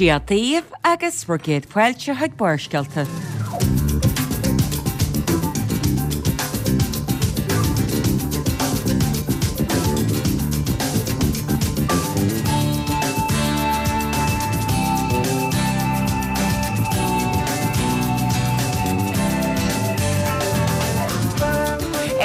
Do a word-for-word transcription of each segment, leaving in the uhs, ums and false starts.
Dia daoibh agus bhur gcéad fáilte chuig Barrscéalta.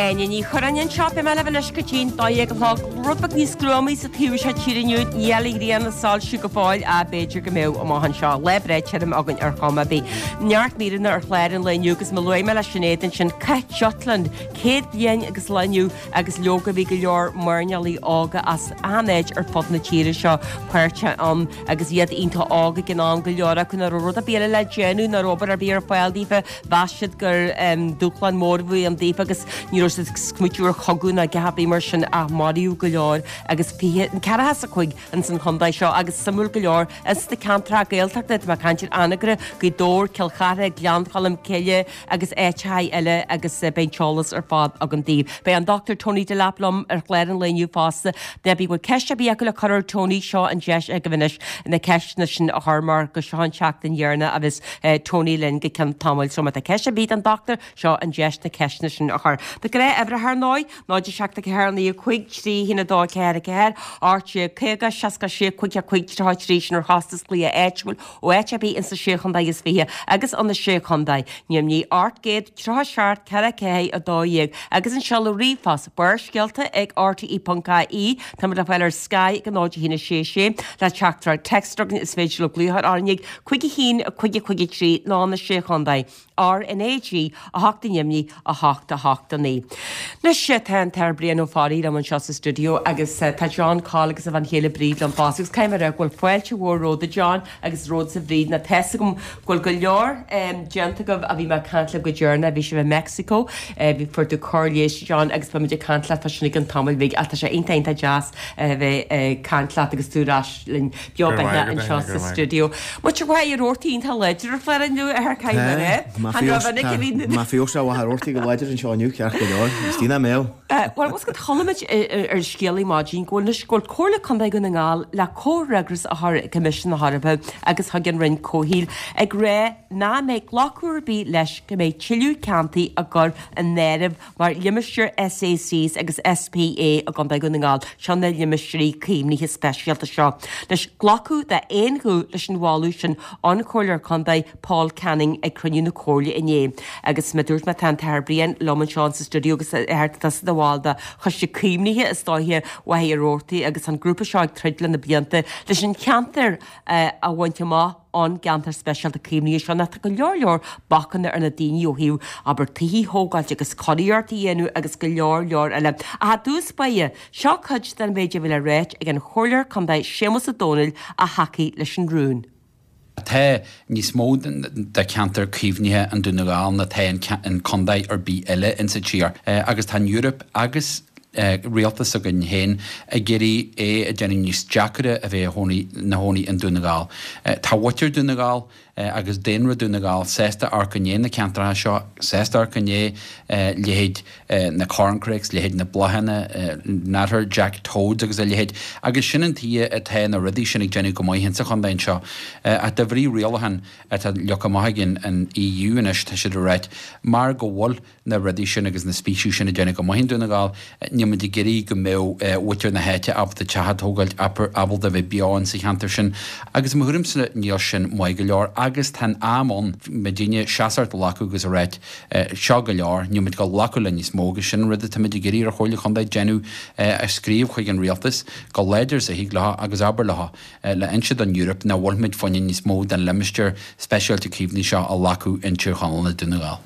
Áine Ní Churráin anseo, beidh mé libh anois go dtí'n dó dhéag a chlog, rud beag níos gruamaí sa taobh seo tíre inniu, níl an ghrian ag soilsiú go fóill ach b'fhéidir go mbeidh amach anseo. Lá breá tirim againn ar chuma ar bith. Neart míreanna ar chlár an lae inniu agus mar a luaigh mé le Sinéad ansin, Cath Jutland, céad bliain agus lá inniu agus leoga bhí go leor mairnéalaigh óga as achan áit ar fud na tíre seo páirteach ann agus iad iontach óg ag an am, go leor acu nach raibh rud ar bith eile le déanamh, nach raibh obair ar bith ar fáil daofa, mheas siad gur dúshlán mór a bhí ann daofa agus ní raibh siad ag smaoitiú ar chogadh ná a dhath ar bith mar sin ach maraíodh go leor agus fiche, ceathracha is a cúig ins an chontae seo agus suimiúil go leor ins na ceantracha Gaeltachta, tá mé ag caint ar Anagaire, Gaoth Dobhair, Cill Chartha, Gleann Cholm Cille agus áiteacha eile agus beidh an t-eolas ar fad agam daoibh. Beidh an Dochtúir Tony Delap liom ar chlár an lae inniu fosta. Má bhí bhfuil ceist ar bith acu le cur ar Tony, seo an deis agaibh anois na ceisteanna sin a chur mar gur seo an tseachtain dheireanach a bheas Tony linn go ceann tamaill. So má tá ceist ar bith don Dochtúir, seo an deis na ceisteanna sin a chur. Na gnáth-uimhreacha ar ndóigh, náid a seacht a ceathair naoi a cúig trí haon a dó ceathair a ceathair, ocht déag caoga, seasca sé cúig a cúig tríocha a trí sin ar chostas glaoch áitiúil ó áit ar bith ins na Sé Chontae is Fiche agus ó na Sé Chontae. Neamhní ocht gcéad tríocha seacht ceithre ceathair a dó dhéag agus an seoladh ríomhphost, Barrscéalta ag R T E ponc I E. Táimid le fáil ar Sky ag a náid a haon a sé sé le teachtaireacht téacs againn is féidir libh glaoch orainn ag cúig a haon cúig a cúig a trí nó na Sé Chontae. R N A G a hocht i nDoimní a hocht a hocht a naoi. Anois tá an tAthair Brian Ó Fearraigh liom anseo sa stiúideo agus tá John Coll agus a bhean chéile Bríd liom fosta agus caithfidh mé a rá go bhfuil fáilte mhór romhat a John agus romhatsa a Bhríd nó tá's agam go bhfuil go leor déanta agaibh ó bhí mé ag caint libh go deireanach, bhí sibh i Mexico, bhí fuair tú cóir leighis John agus beimid ag caint leat fá sin i gceann tamaill bhig ach tá sé iontach iontach deas a bheith ag caint leat agus tú ar ais linn beo beatha anseo sa stiúideo. Muintir Mhachaire Rabhartaigh iontach láidir ar chlár inniu, a Athair caithfidh mé a rá. Chan raibh an a bhí. Má bhí sé Mhachaire Rabhartaigh go láidir anseo inniu ceart go leor, is dí nach mbeadh. Bhuel, bhfuil a fhios agat chuala muid ar Scéala maidin go bhfuil anois go bhfuil Comhairle Contae Dhún na nGall le comhfhreagras a chur ag Coimisiún na hEorpa agus chuig an Roinn Comhshaoil ag rá nach mbeidh glacadh ar bith leis go mbeidh tuilleadh ceantair á gcur in áireamh mar limistéir S A Cs agus S P A i gContae Dhún na nGall, seo na limistéirí caomhnaithe speisialta seo. Anois, glacadh d'aon ghuth leis an mholadh sin ón Chomhairleoir Contae Paul Canning ag cruinniú na Comhairle inné. Agus mar a dúirt mé tá an tAthair Brian liom anseo sa stiúideo agus a Athair tá tusa i do bhall de Choiste Caomhnaithe is dóiche Mhachaire Rabhartaigh agus an grúpa seo ag troid le na blianta leis an cheantar a bhaint amach ón gceantar speisialta caomhnaithe seo. Nó tá go leor leor bacanna ar na daoine ó thaobh abair tithe a thógáilt agus cóiríocht a dhéanamh agus go leor leor eile. Ach i dtús báire, seo cuid den mhéid a bhí le ráit ag an Chomhairleoir Contae Séamus Ó Domhnaill a thacaigh leis an rún. Tá níos mó de cheantar caomhnaithe i nDún na nGall ná tá in contae ar bith eile insa tír agus tá an Eoraip agus rialtas againn féin ag iarraidh é a déanamh níos deacaire a bheith ina chónaí i nDún na nGall. Tá muintir Dún na nGall agus daonra Dún na nGall sásta amharc i ndiaidh na ceantracha seo, sásta amharc i ndiaidh leithéid na corncrakes, leithéid na bláthanna, n'fheadar, Jack Toads agus a leithéid, agus sin an tuige atá na rudaí sin ag déanamh go maith insa chontae anseo. Ach de bhrí rialachán atá leagtha amach ag an E U anois, tá siad ag ráit mar go bhfuil na rudaí sin agus na speicis sin ag déanamh go maith i nDún na nGall, níl muid ag iarraidh go mbeadh muintir na háite ábalta teach a thógáilt, ábalta a bheith beo insa cheantar sin. Agus i mo thuairimse níl sin maith go leor agus tá an am ann muidinne seasamh a ghlacadh agus a ráit seo go leor, níl muid ag glacadh le níos mó agus sin an rud atá muid ag iarraidh ar Chomhairle Chontae déanamh a scríobh chuig an rialtas go láidir is a thig leo agus abair leo le inse don Eoraip nach bhfuil muid fá choinne níos mó den limistéar speisialta caomhnaithe seo a ghlacadh in Tír Chonaill nó Dún na nGall.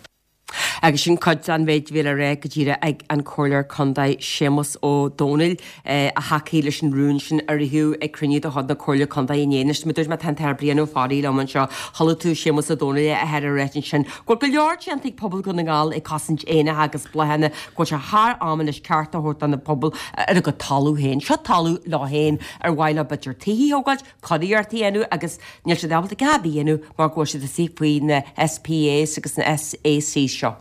Agus sin cuid den mhéid a bhí le rá go díreach ag an Chomhairleoir Contae Séamus Ó Domhnaill a thacaigh leis an rún sin a ritheadh ag cruinniú de chuid na Comhairle Contae inné. Anois, mar a dúirt mé, tá an tAthair Brian Ó Fearraigh liom anseo. Chuala tú Séamus Ó Domhnaill a athair ag ráit ansin go bhfuil go leor déanta ag pobal Dhún na nGall ag cosaint éanacha agus bláthanna, go bhfuil sé thar am anois ceart a thabhairt do na pobail ar a gcuid talamh féin. Seo talamh leo féin ar mhaith leo b'fhéidir tithe a thógáilt, cóiríocht a dhéanamh agus níl siad ábalta a dhath ar bith a dhéanamh mar go bhfuil siad istigh faoi na S P As agus na S A Cs seo.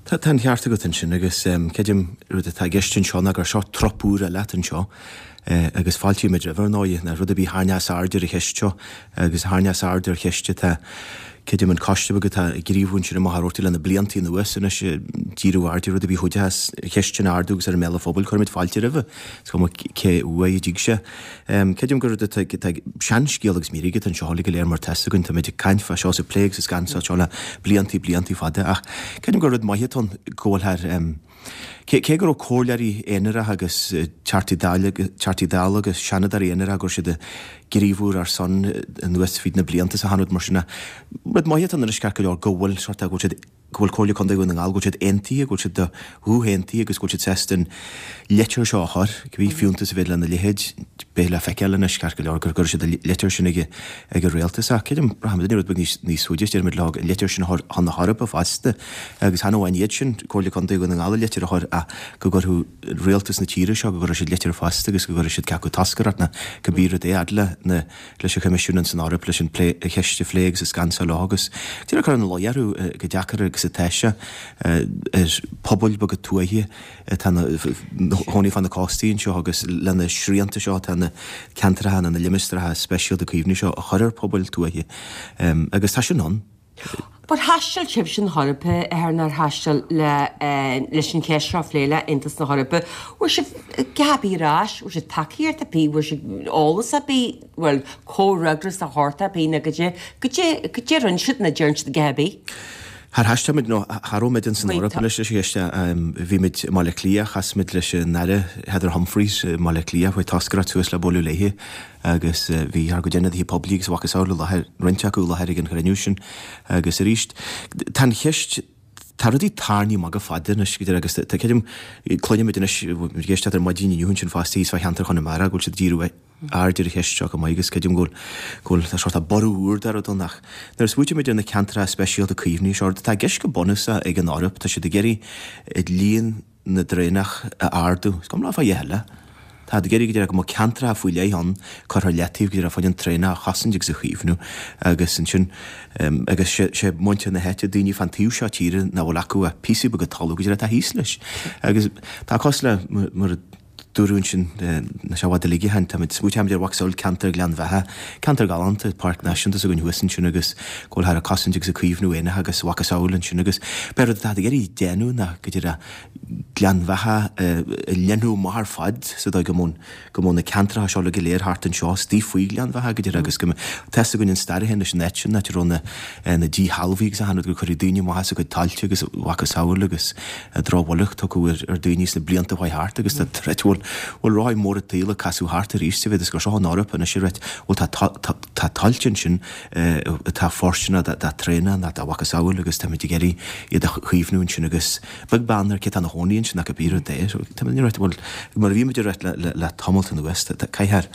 Tá tá an ceart agat ansin agus creidim rud atá i gceist anseo ná gur seo trup úr eile anseo agus fáiltímid roimh ar ndóigh na rud a bhí thar neas aird ar an cheist seo agus thar neas aird ar cheist atá creidim an coiste beag atá ag gníomhú ansin i Machaire Rabhartaigh le na blianta anuas anois díriú aird ar rud a bhí chuide as cheist sin a ardú agus ar an mbéal an phobail cuirimid fáilte roimhe. Is cuma cé uaidh a dtig sé. Creidim gur rud atá seanscéal agus mírígh atá anseo uilig go léir mar tá fhios againn táimid ag caint fá seo is ag plé agus ag scansáil seo le bliantaí bliantaí fada ach creidim gur rud maith atá ann go bhfuil thar Cé cé go raibh comhairleoirí aonaracha agus Teachtaí Dála Teachtaí Dála agus Seanadóirí aonaracha go raibh siad ag gníomhú ar son anuas fríd na blianta is achan rud mar sin rud maith atá ann anois ceart go leor go bhfuil sort go bhfuil siad go bhfuil Comhairle Contae Dhún na nGall go bhfuil siad aontaithe go bhfuil siad de ghuth aontaithe agus go bhfuil siad sásta an litir seo a chur cibé fiúntas a bheidh lena leithéid beidh le feiceáil anois ceart go leor gur gcuirfidh siad an litir sin ag ag an rialtas ach creidim braithimid rud beag níos níos faide deirimid leo an litir sin a chur chun na hEorpa fosta agus chan amháin iad sin Comhairle Contae Dhún na nGall an litir a chur ach go gcuirfeadh rialtas na tíre seo go gcuirfidh siad litir fosta agus go gcuirfidh siad ceapadh toscaireacht ná cibé rud é fhad le na leis an Choimisiún san Eoraip leis an plé a cheist a phlé agus a scansáil leo agus déarfainn cur ina luí orthu go deacair agus atá sé ar pobail beaga tuaithe atá ina gcónaí fá na cóstaí anseo agus lena srianta seo atá na ceantracha nó na limistéaracha speisialta caomhnaithe seo a chur ar pobail tuaithe agus tá sin ann. But thaistil sibhse na hEorpa ar nár thaistil le leis an cheist seo a phlé le Aontas na hEorpa. Bhfuair sibh geábh ar ais, bhfuair sibh tacaíocht ar bith, bhfuair sibh eolas ar bith, bhuel comhfhreagras de shórt ar bith nó goidé goidé goidé rinne siad nó deireann siad a dhath ar bith. Char thaistil muid nó cha raibh muid ins an Eoraip anois leis an cheist bhí muid i mBaile Átha Cliath, chas muid leis an Aire Heather Humphreys i mBaile Átha Cliath, chuaigh toscaireacht suas le bualadh léi agus bhí ár gcuid ionadaithe poiblí agus a mhacasamhail i láthair, roinnt acu i láthair ag an chruinniú sin agus arís tá an cheist, tá rudaí tarraingthe amach go fada anois go deireadh agus tá creidim, cluinimid anois, muid ag éisteacht ar maidin inniu ansin fosta thíos fá cheantar Chonamara go bhfuil siad ag díriú aird ar an cheist seo chomh maith agus creidim go bhfuil go bhfuil tá sórt borradh úr de rud ann ach nuair a smaoitímid ar na ceantracha speisialta caomhnaithe seo, rud atá i gceist go bunúsach ag an Eoraip, tá siad ag iarraidh líon na dtraonach a ardú. Is cuma leo fá a dhath eile. Tá siad ag iarraidh go deireadh go mbeadh ceantracha faoi leith ann curtha ar leataobh go deireadh fá choinne an traonach a chosaint agus a chaomhnú agus ansin agus sé sé muintir na háite, daoine fán taobh seo tíre nach bhfuil acu ach píosaí beaga talún go deireadh atá thíos leis. Agus tá cosúil le mar a dúradh ansin níl sé i bhfad uilig ó shin, táimid, smaoitímid ar mhacasamhail ceantar Ghleann Bheatha, ceantar galánta, páirc náisiúnta s'againn thuas ansin agus go bhfuil thar ag cosaint agus ag caomhnú éanacha agus a mhacasamhail ansin agus b'é rud atá ag iarraidh déanamh ná go deireadh Gleann Bheatha a leathnú amach ar fad sa dóigh go mbeadh go mbeadh na ceantracha seo uilig go léir thart anseo istigh faoi Ghleann Bheatha go deireadh agus go mbeadh tá fhios againn an stair a théann leis an áit sin, áit a raibh na na díshealbhaithe agus achan rud gur cuireadh daoine amach as a gcuid tailte agus a mhacasamhail agus drochbhail tugtha ar ar daoine sna blianta a chuaigh thart agus tá troid bhfuil bhfuil rothaí móra an tsaoil ag casadh thart arís sa mhéad is gur seo an Eoraip anois a reit bhfuil tá tá tá tailte ansin atá fóirsteanach do traonach nó dá mhacasamhail agus táimid ag iarraidh iad a chaomhnú ansin agus beag beann ar cé atá ina chónaí ansin ach cibé rud é. So tá muid ag ráit bhuel mar a bhí muid ag ráit le le tamalt anuas tá caithfear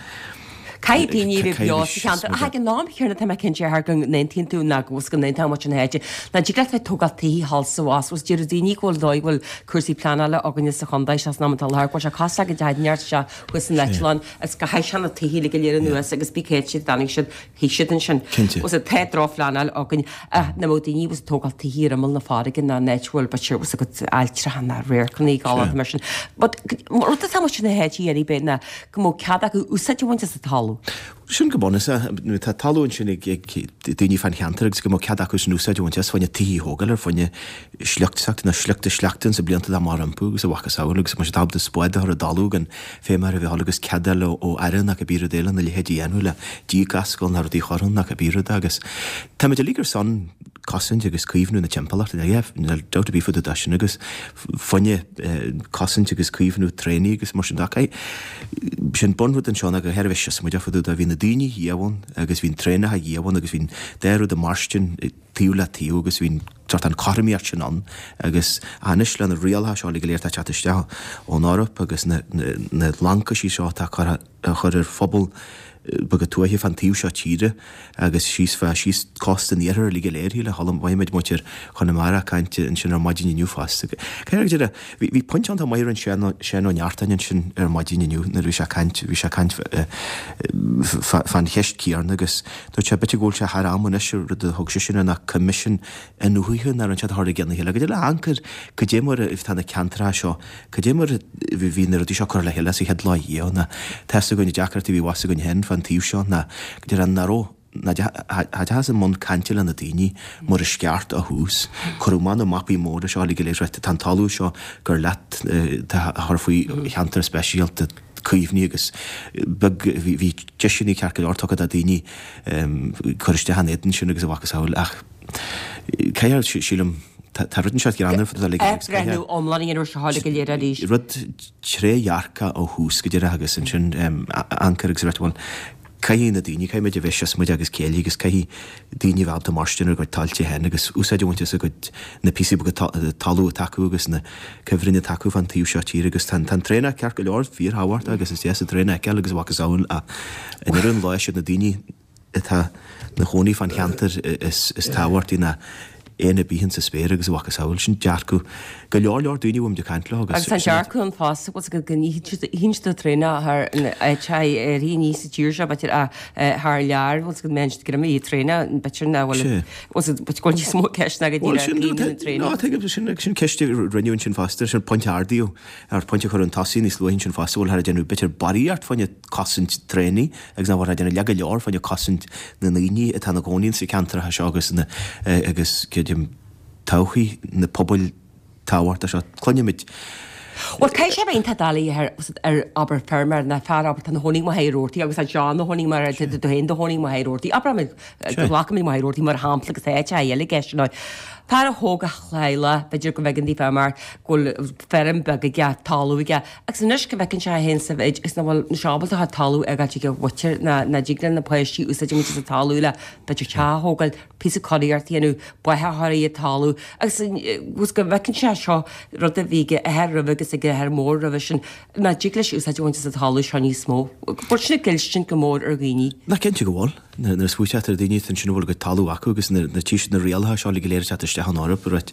Caithfidh daoine a bheith beo sa cheantar. Ach ag an am chéanna tá mé cinnte thar go n-aontaíonn tú ná go bhfuil go n-aontaíonn muid an háite. Nach dtig leat bheith ag tógáil tithe thall is abhus. Bhuel deir daoine go bhfuil dóigh go bhfuil cúrsaí pleanála againne sa chontae seo san am atá i láthair go bhfuil sé cosúil le go dteachaidh neart isteach thuas san eitleán is go chaith sé na tithe uilig go léir anuas agus bí céad siad d'fhan siad shuigh siad ansin. Cinnte. Bhfuil tá drochphleanáil againn ach nach mbeadh daoine bhfuil ag tógáil tithe ar imeall na farraige ná in áit a bhfuil b'fhéidir bhfuil agat ailltreacha ná radharcanna galánta mar sin. But rud atá muid ina háit a iarraidh b'fhéidir ná go mbeadh cead acu úsáid a bhaint as an talamh. Sin go bunúsach. Tá talamh ansin ag daoine fán cheantar agus go mbeadh cead acu san úsáid a bhaint as fá choinne tithe a thógáil ar fá choinne sliocht s'acu nó sliocht a sleachta ins na blianta atá amach rompu agus a mhacasamhail agus go mbeadh siad ábalta spád a chur i dtalamh gan feidhm ar a bheith agus cead a fháil ó aire nó cibé rud eile na leithéidí a dhéanamh le díog a oscailt nó rudaí a chur ann nó cibé rud agus táimid uilig ar son cosaint agus caomhnú na timpeallachta níl dabht ar bith fá dtaobh de sin agus fá choinne cosaint agus caomhnú traonaigh agus mar sin de. Sin bunrud anseo ná go háirithe bheith siosmaideach fá dtaobh de. Bhí na daoine riamh ann agus bhí an traonacha riamh ann agus bhí an dá rud ag mairstin taobh le taobh agus bhí an sórt an chothromaíocht sin ann agus anois le na rialacha seo uilig go léir atá ag teacht isteach ón Eoraip agus na na lancaisí seo atá curtha á chur ar phobal beaga tuaithe fán taobh seo tíre agus síos fá síos cósta an iarthair uilig go léir shíle chuala mhaígh muid muintir Chonamara ag caint ansin ar maidin inniu fosta. Cé go deireadh bhí bhí pointe iontach maith a rinne Seán Seán Ó Neachtain ansin ar maidin inniu nuair a bhí sé ag caint bhí sé ag caint fán cheist chéanna agus dúirt sé b'fhéidir go bhfuil sé thar am anois rud a thug seisean air ná coimisiún iniúchta áirithe ná an teach a tharla a chéile, go dtí le ancair go dté mar tá na ceantracha seo, go dté mar bhí na rudaí seo curtha le chéile sa chéad lá riamh, ná tá fhios againn na deacrachtaí a bhí abhus againn féin fán taobh seo, ná go dtí an raibh ná deachthas i mbun cainte le na daoine mar is ceart ó thús. Cuireadh amach na mapaí móra seo uilig go léir, tá an talamh seo gur leat a chur faoi cheantar speisialta caomhnaithe agus beag bhí deiseanna ceart go leor tugtha do daoine cur isteach an éadan sin agus a mhacasamhail ach caithfidh, sílim, tá rud inteacht greannmhar fá dtaobh de. Athbhreithniú iomlán a dhéanamh ar seo uilig go léir arís. Rud trédhearcach ó thús go deireadh agus ansin ancair agus rud, bhuel, caithfidh na daoine, caithfidh muid a bheith síos muid agus céile agus caithfidh daoine a bheith ábalta mairstin ar a gcuid tailte féin agus úsáid a bhaint as a gcuid, na píosaí beaga talún atá acu agus na cuibhrinn atá acu fán taobh seo tíre agus tá an traonach ceart go leor, fíorthábhachtach agus is deas an traonach a fheiceáil agus a mhacasamhail ach i ndeireadh an lae siad na daoine atá 'na chónaí fán cheantar is tábhachtaí ná éan ar bith insa spéir agus a mhacasamhail. Sin dearcadh go leor leor daoine a bhfuilimid ag caint leo agus. Agus tá an dearcadh ann fosta, bhfuil 's agat, go n-itheann siad an traonach thar an áit a éirí aníos sa tír seo, b'fhéidir, ach thar lear, bhfuil 's agat, mbíonn siad ag imeacht traonach, b'fhéidir nach bhfuil, bhfuil 's agat, b'fhéidir go bhfuil níos mó ceist ná go díreach caomhnú na traonach. Ná, tuigim, sin, sin ceist a rinneadh ansin fosta, sin pointe a ardaíodh, ar pointe a cuireadh chun tosaigh níos luaithe ansin fosta, bhfuil thar ag déanamh b'fhéidir barraíocht fá choinne cosaint traonaigh agus nach bhfuil ag déanamh leath go leor fá choinne cosaint na ndaoine atá ina gcónaí insa cheantracha seo agus na agus creidim todhchaí na pobail tábhachtach seo. Cluinimid. Bhuel, caithfidh sé a bheith iontach doiligh ar ar abair feirmeoir ná fear abair atá ina chónaí i Machaire Rabhartaigh agus tá John ina chónaí mar tá tú féin i do chónaí i Machaire Rabhartaigh. Abraimid go nglacfaimid Machaire Rabhartaigh mar shampla agus tá áiteacha eile i gceist ar ndóigh. Fear a thóg a theaghlach, b'fhéidir go bhfeiceann daofa mar go bhfuil feirm beag aige, talamh aige, agus anois go bhfeiceann sé é féin sa mhéid is nach bhfuil sé ábalta a chuid talamh a fhágáilt ag a mhuintir ná nach dtig le na páistí úsáid a bhaint as an talamh le b'fhéidir teach a thógáil, píosa curaíocht a dhéanamh, bóthar a chur ar an talamh agus agus go bhfeiceann sé seo rud a bhí ag a athair roimhe agus ag a athair mór roimhe sin nach dtig leis úsáid a bhaint as an talamh seo níos mó. Bhfuil sin ag goilliúint go mór ar dhaoine? Nach cinnte go bhfuil. Nuair a smaoitítear ar daoine ansin a bhfuil a gcuid talamh acu agus nuair a tchí siad na rialacha seo uilig go léir ag teacht isteach ón Eoraip, right,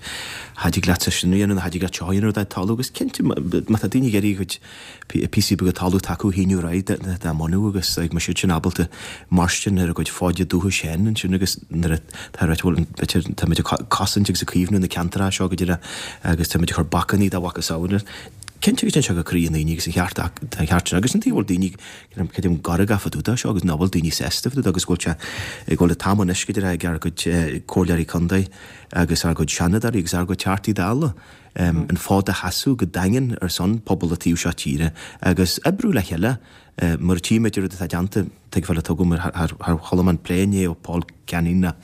cha dtig leatsa sin a dhéanamh, cha dtig leat seo a dhéanamh ar do thalamh agus cinnte má tá daoine ag iarraidh a gcuid píosaí beaga talamh atá acu a shíniú ar aghaidh dá mbunú agus ag mbeidh siad sin ábalta mairstin ar a gcuid fóide dúchais féin ansin agus nuair atá right bhuel b'fhéidir táimid ag cosaint agus ag caomhnú na ceantracha seo go díreach agus táimid ag cur bacainní dá mhacasamhail. Cinnte go dtéann sé go croí na ndaoine agus an cheart an cheart sin agus an taobh a bhfuil daoine creidim gairgeach fá dtaobh de seo agus nach bhfuil daoine sásta fá dtaobh de agus go bhfuil sé go bhfuil an t-am anois go díreach ag ár gcuid comhairleoirí contae agus ár gcuid seanadóirí agus ár gcuid teachtaí dála an fód a sheasamh go daingean ar son pobal an taobh seo tíre agus oibriú le chéile mar a tchímid an rud atá déanta, tuigbheáil atá agam ar chuala mé an plé inné ó Paul Canning ná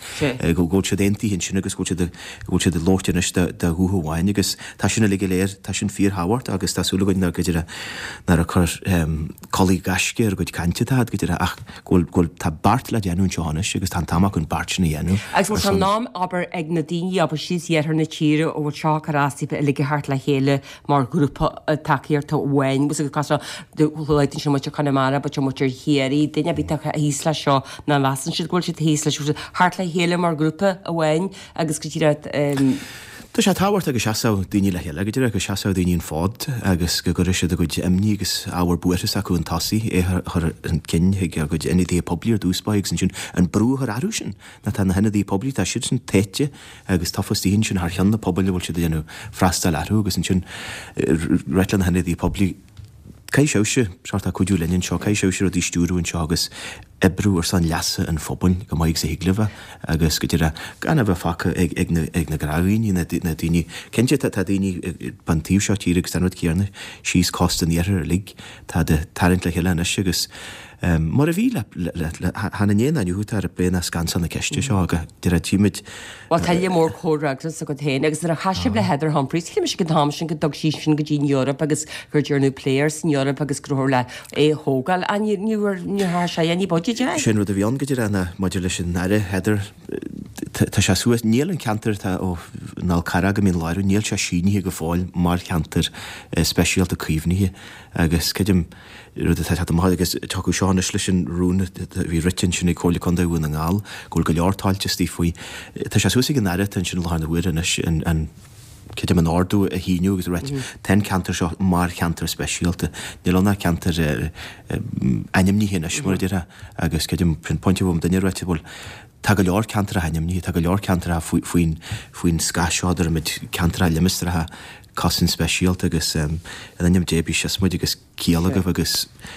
go bhfuil siad aontaithe ansin agus go bhfuil siad go bhfuil siad ag labhairt anois de ghuth amháin agus tá sin uilig go léir, tá sin fíorthábhachtach agus tá súil againn nár go deireadh nár ag cur culaith gaisce ar a gcuid cainte atá go deireadh ach go bhfuil go bhfuil tá beart le déanamh anseo anois agus tá an t-am acu an beart sin a dhéanamh Agus bhfuil sé in am abair ag na daoine abair síos iarthar na tíre a bhfuil seo ag cur as daofa uilig a theacht le chéile mar ghrúpa tacaíochta amháin agus agus luaigh tú ansin muintir Chonamara, b'fhéidir muintir Chiarraí, duine ar bith atá thíos leis seo, ná measann siad go bhfuil siad thíos leis, theacht le chéile mar ghrúpa amháin agus go díreach. Tá sé tábhachtach go seasfadh daoine le chéile, go díreach go seasfadh daoine an fód agus go gcuirfeadh siad a gcuid imní agus ábhar buartha s'acu chun tosaigh, é a chur chun cinn chuig a gcuid ionadaithe poiblí ar dtús báire agus ansin an brú a chur orthu sin. Ná tá na hionadaithe poiblí, tá siadsan tofa agus tofa istigh ansin thar cheann na pobail a bhfuil siad ag déanamh freastal orthu agus ansin ráit le na hionadaithe poiblí, Caithfidh sibhse sórt cuidiú linn anseo, caithfidh sibhse rudaí a stiúradh anseo agus oibriú ar son leasa an phobail chomh maith agus a thig libh agus go díreach gan a bheith fágtha ag ag na ag na gnáthdhaoine, na na daoine, cinnte tá tá daoine fán taobh seo tíre agus tá an rud céanna síos cósta an iarthair uilig, tá ag tarraingt le chéile anois agus mar a bhí le le le chan inné ná inniu atá ar plé ná scansáil na ceiste seo go díreach tchímid Bhuel, tá lear mór comhfhreagras agat féin agus nuair a chas sibh le Heather Humphreys, shíl mise ag an t-am sin go dtug sí sin go dtí an Eoraip agus gur déanadh plé air san Eoraip agus go raibh le é a thógáil. Ach ní ní raibh ní raibh sé ní b'fhaide de. Sin rud a bhí ann go díreach ná maidir leis an Aire Heather, tá sé suas, níl an ceantar atá ó an Fhál Carrach go Mín Lárach, níl sé sínithe go fóill mar cheantar speisialta caomhnaithe agus creidim, rud atá ag teacht amach agus tiocfaidh seo anois leis an rún a bhí rite ansin ag Comhairle Contae Dhún na nGall go bhfuil go leor tailte istigh faoi. Tá sé suas ag an Aire atá ansin i láthair na huaire anois an, an, creidim an ordú a shíniú agus a ráit tá an ceantar seo mar cheantar speisialta. Níl ann ach ceantar ainmnithe anois mar a déarfá agus creidim sin pointe a bhfuil duine ráite bhuel Tá go leor ceantracha ainmnithe, tá go leor ceantracha faoin faoin scáth seo, deirimid ceantracha limistéaracha cosaint speisialta agus in ainm Dé bí sios muid agus ciall agaibh agus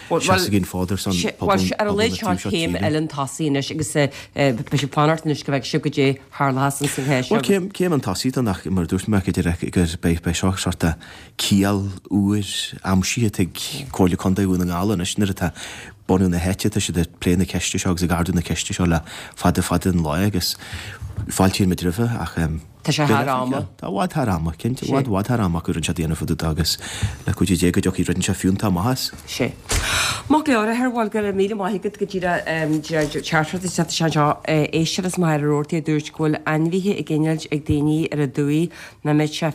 seasaigí an fód ar son pobal Ar a laghad seo céim eile an tosaigh anois agus beidh sibh fanacht anois go bhfeicfidh sibh goidé tharlós ins an cheist seo. Bhuel céim céim an tosaigh don ach mar a dúirt mé go díreach gur beidh beidh seo sort of ciall úr aimsithe ag Comhairle Contae Dhún na nGall anois nuair atá bunú na háite tá siad ag plé na ceiste seo agus ag ardú na ceiste seo le fada fada an lá agus fáiltíonn muid roimhe ach Tá sé thar ama. Tá i bhfad thar ama, cinnte, i bhfad, i bhfad thar ama acu rinne siad déanamh fá dtaobh de agus le cuidiú Dé go dtiocfaidh rud inteacht fiúntach amach as. Sé. Maith go leor, a Fhir, bhuel, go raibh míle maith agat go díreach teachtaireacht isteach anseo. Éisteoir as Machaire Rabhartaigh a dúirt go bhfuil ainmhithe ag innilt ag daoine ar an dumhaigh, nach mbeadh sé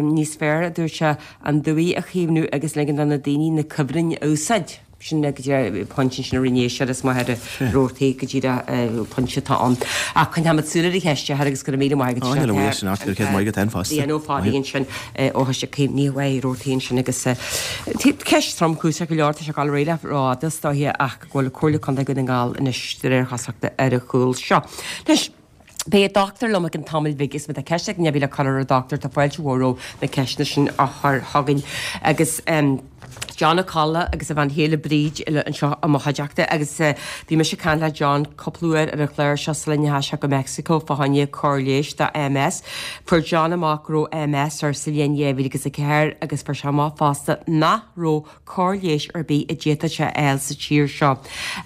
níos fearr, a dúirt sé, an dumhaigh a chaomhnú agus ligean do na daoine na cuibhrinn a úsáid. Sin go díreach pointe ansin a rinne éisteoir as Machaire Rabhartaigh go díreach pointe atá ann. Ach coinneoimid súil ar an cheist a agus go raibh míle maith agat. Á, níl a bhuíochas sin ort, go raibh céad maith agat féin fosta. Brian Ó Fearraigh ansin ó Choiste Caomhnaithe Mhachaire Rabhartaigh ansin agus ceist tromchúiseach go leor, tá sé ag dul ar aghaidh le rófhada is dóiche ach go bhfuil Comhairle Contae Dhún na nGall anois de réir chosúlachta ar a chúl seo. Anois, Beidh an dochtúir liom i gcionn tamaill bhig agus má tá ceist ag duine ar bith le cur ar an dochtúir tá fáilte mhór roimh na ceisteanna sin a chur chugainn. Agus John Ó Colla agus a bhean chéile Bríd anseo i mo chuideachta agus bhí mise ag caint le John cúpla uair ar an chlár seo sula ndeachaigh sé go Meicsiceo fá choinne cóir leighis do MS. Fuair John amach go raibh MS air sa bhliain dhá mhíle agus a ceathair agus fuair sé amach fosta nach raibh cóir leighis ar bith a d'fhéadfadh sé a fháil sa tír seo.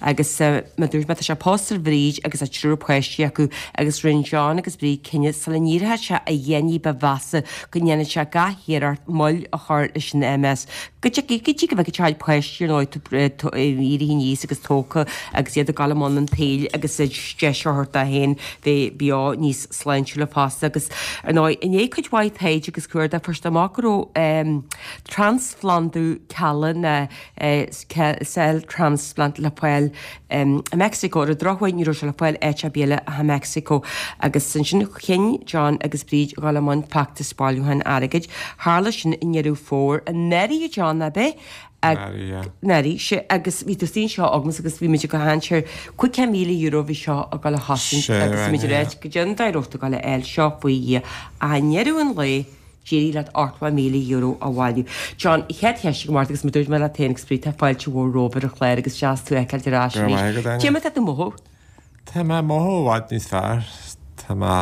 Agus mar a dúirt mé, tá sé pósta ar Bhríd agus tá triúr páistí acu agus rinne John agus Bríd cinneadh sula n-éireodh sé a dhath ní ba mheasa go ndéanfadh sé gach iarracht moill a chur leis an MS. Go dtí go dtí go bhfeicfeadh sé a chuid páistí ar ndóigh éirithe aníos agus tógtha agus iad ag dul i mbun an tsaoil agus deis a thabhairt dó féin bheith beo níos sláintiúla fosta. Agus ar ndóigh, i ndiaidh cuid mhaith taighde agus cuardaigh, fuair siad amach go raibh trasphlandú cealla nó cell transplant le fáil i Meicsiceo. Ar an drochuair ní raibh sé le fáil áit ar bith eile ach i Meicsiceo. Agus ansin chinn John agus Bríd a dhul i mbun feachtas bailiúcháin airgid. Tharla sin i nDeireadh Fómhair anuraidh, a John, ab ea? Anuraidh, sea. Agus bhí tú istigh anseo agamsa agus bhí muid ag caint ar cúig chéad míle euro a bhí seo ag dul a chosaint agus bhí muid ag ráit goidé an dóigh a raibh tú ag dul a fháil seo faoi Dhia. Ach i ndeireadh an lae, D'éirigh leat ochtó míle euro a bhailiú. John, chéad cheist agam ort agus mar dúirt mé leat féin agus Bríd, tá fáilte mhór romhaibh ar an chlár agus deas tú a fheiceáilt ar ais Go raibh arís. maith agat, Áine. Cé mar atá tú ag mothú? Tá mé ag mothú i bhfad níos fearr. Tá mé,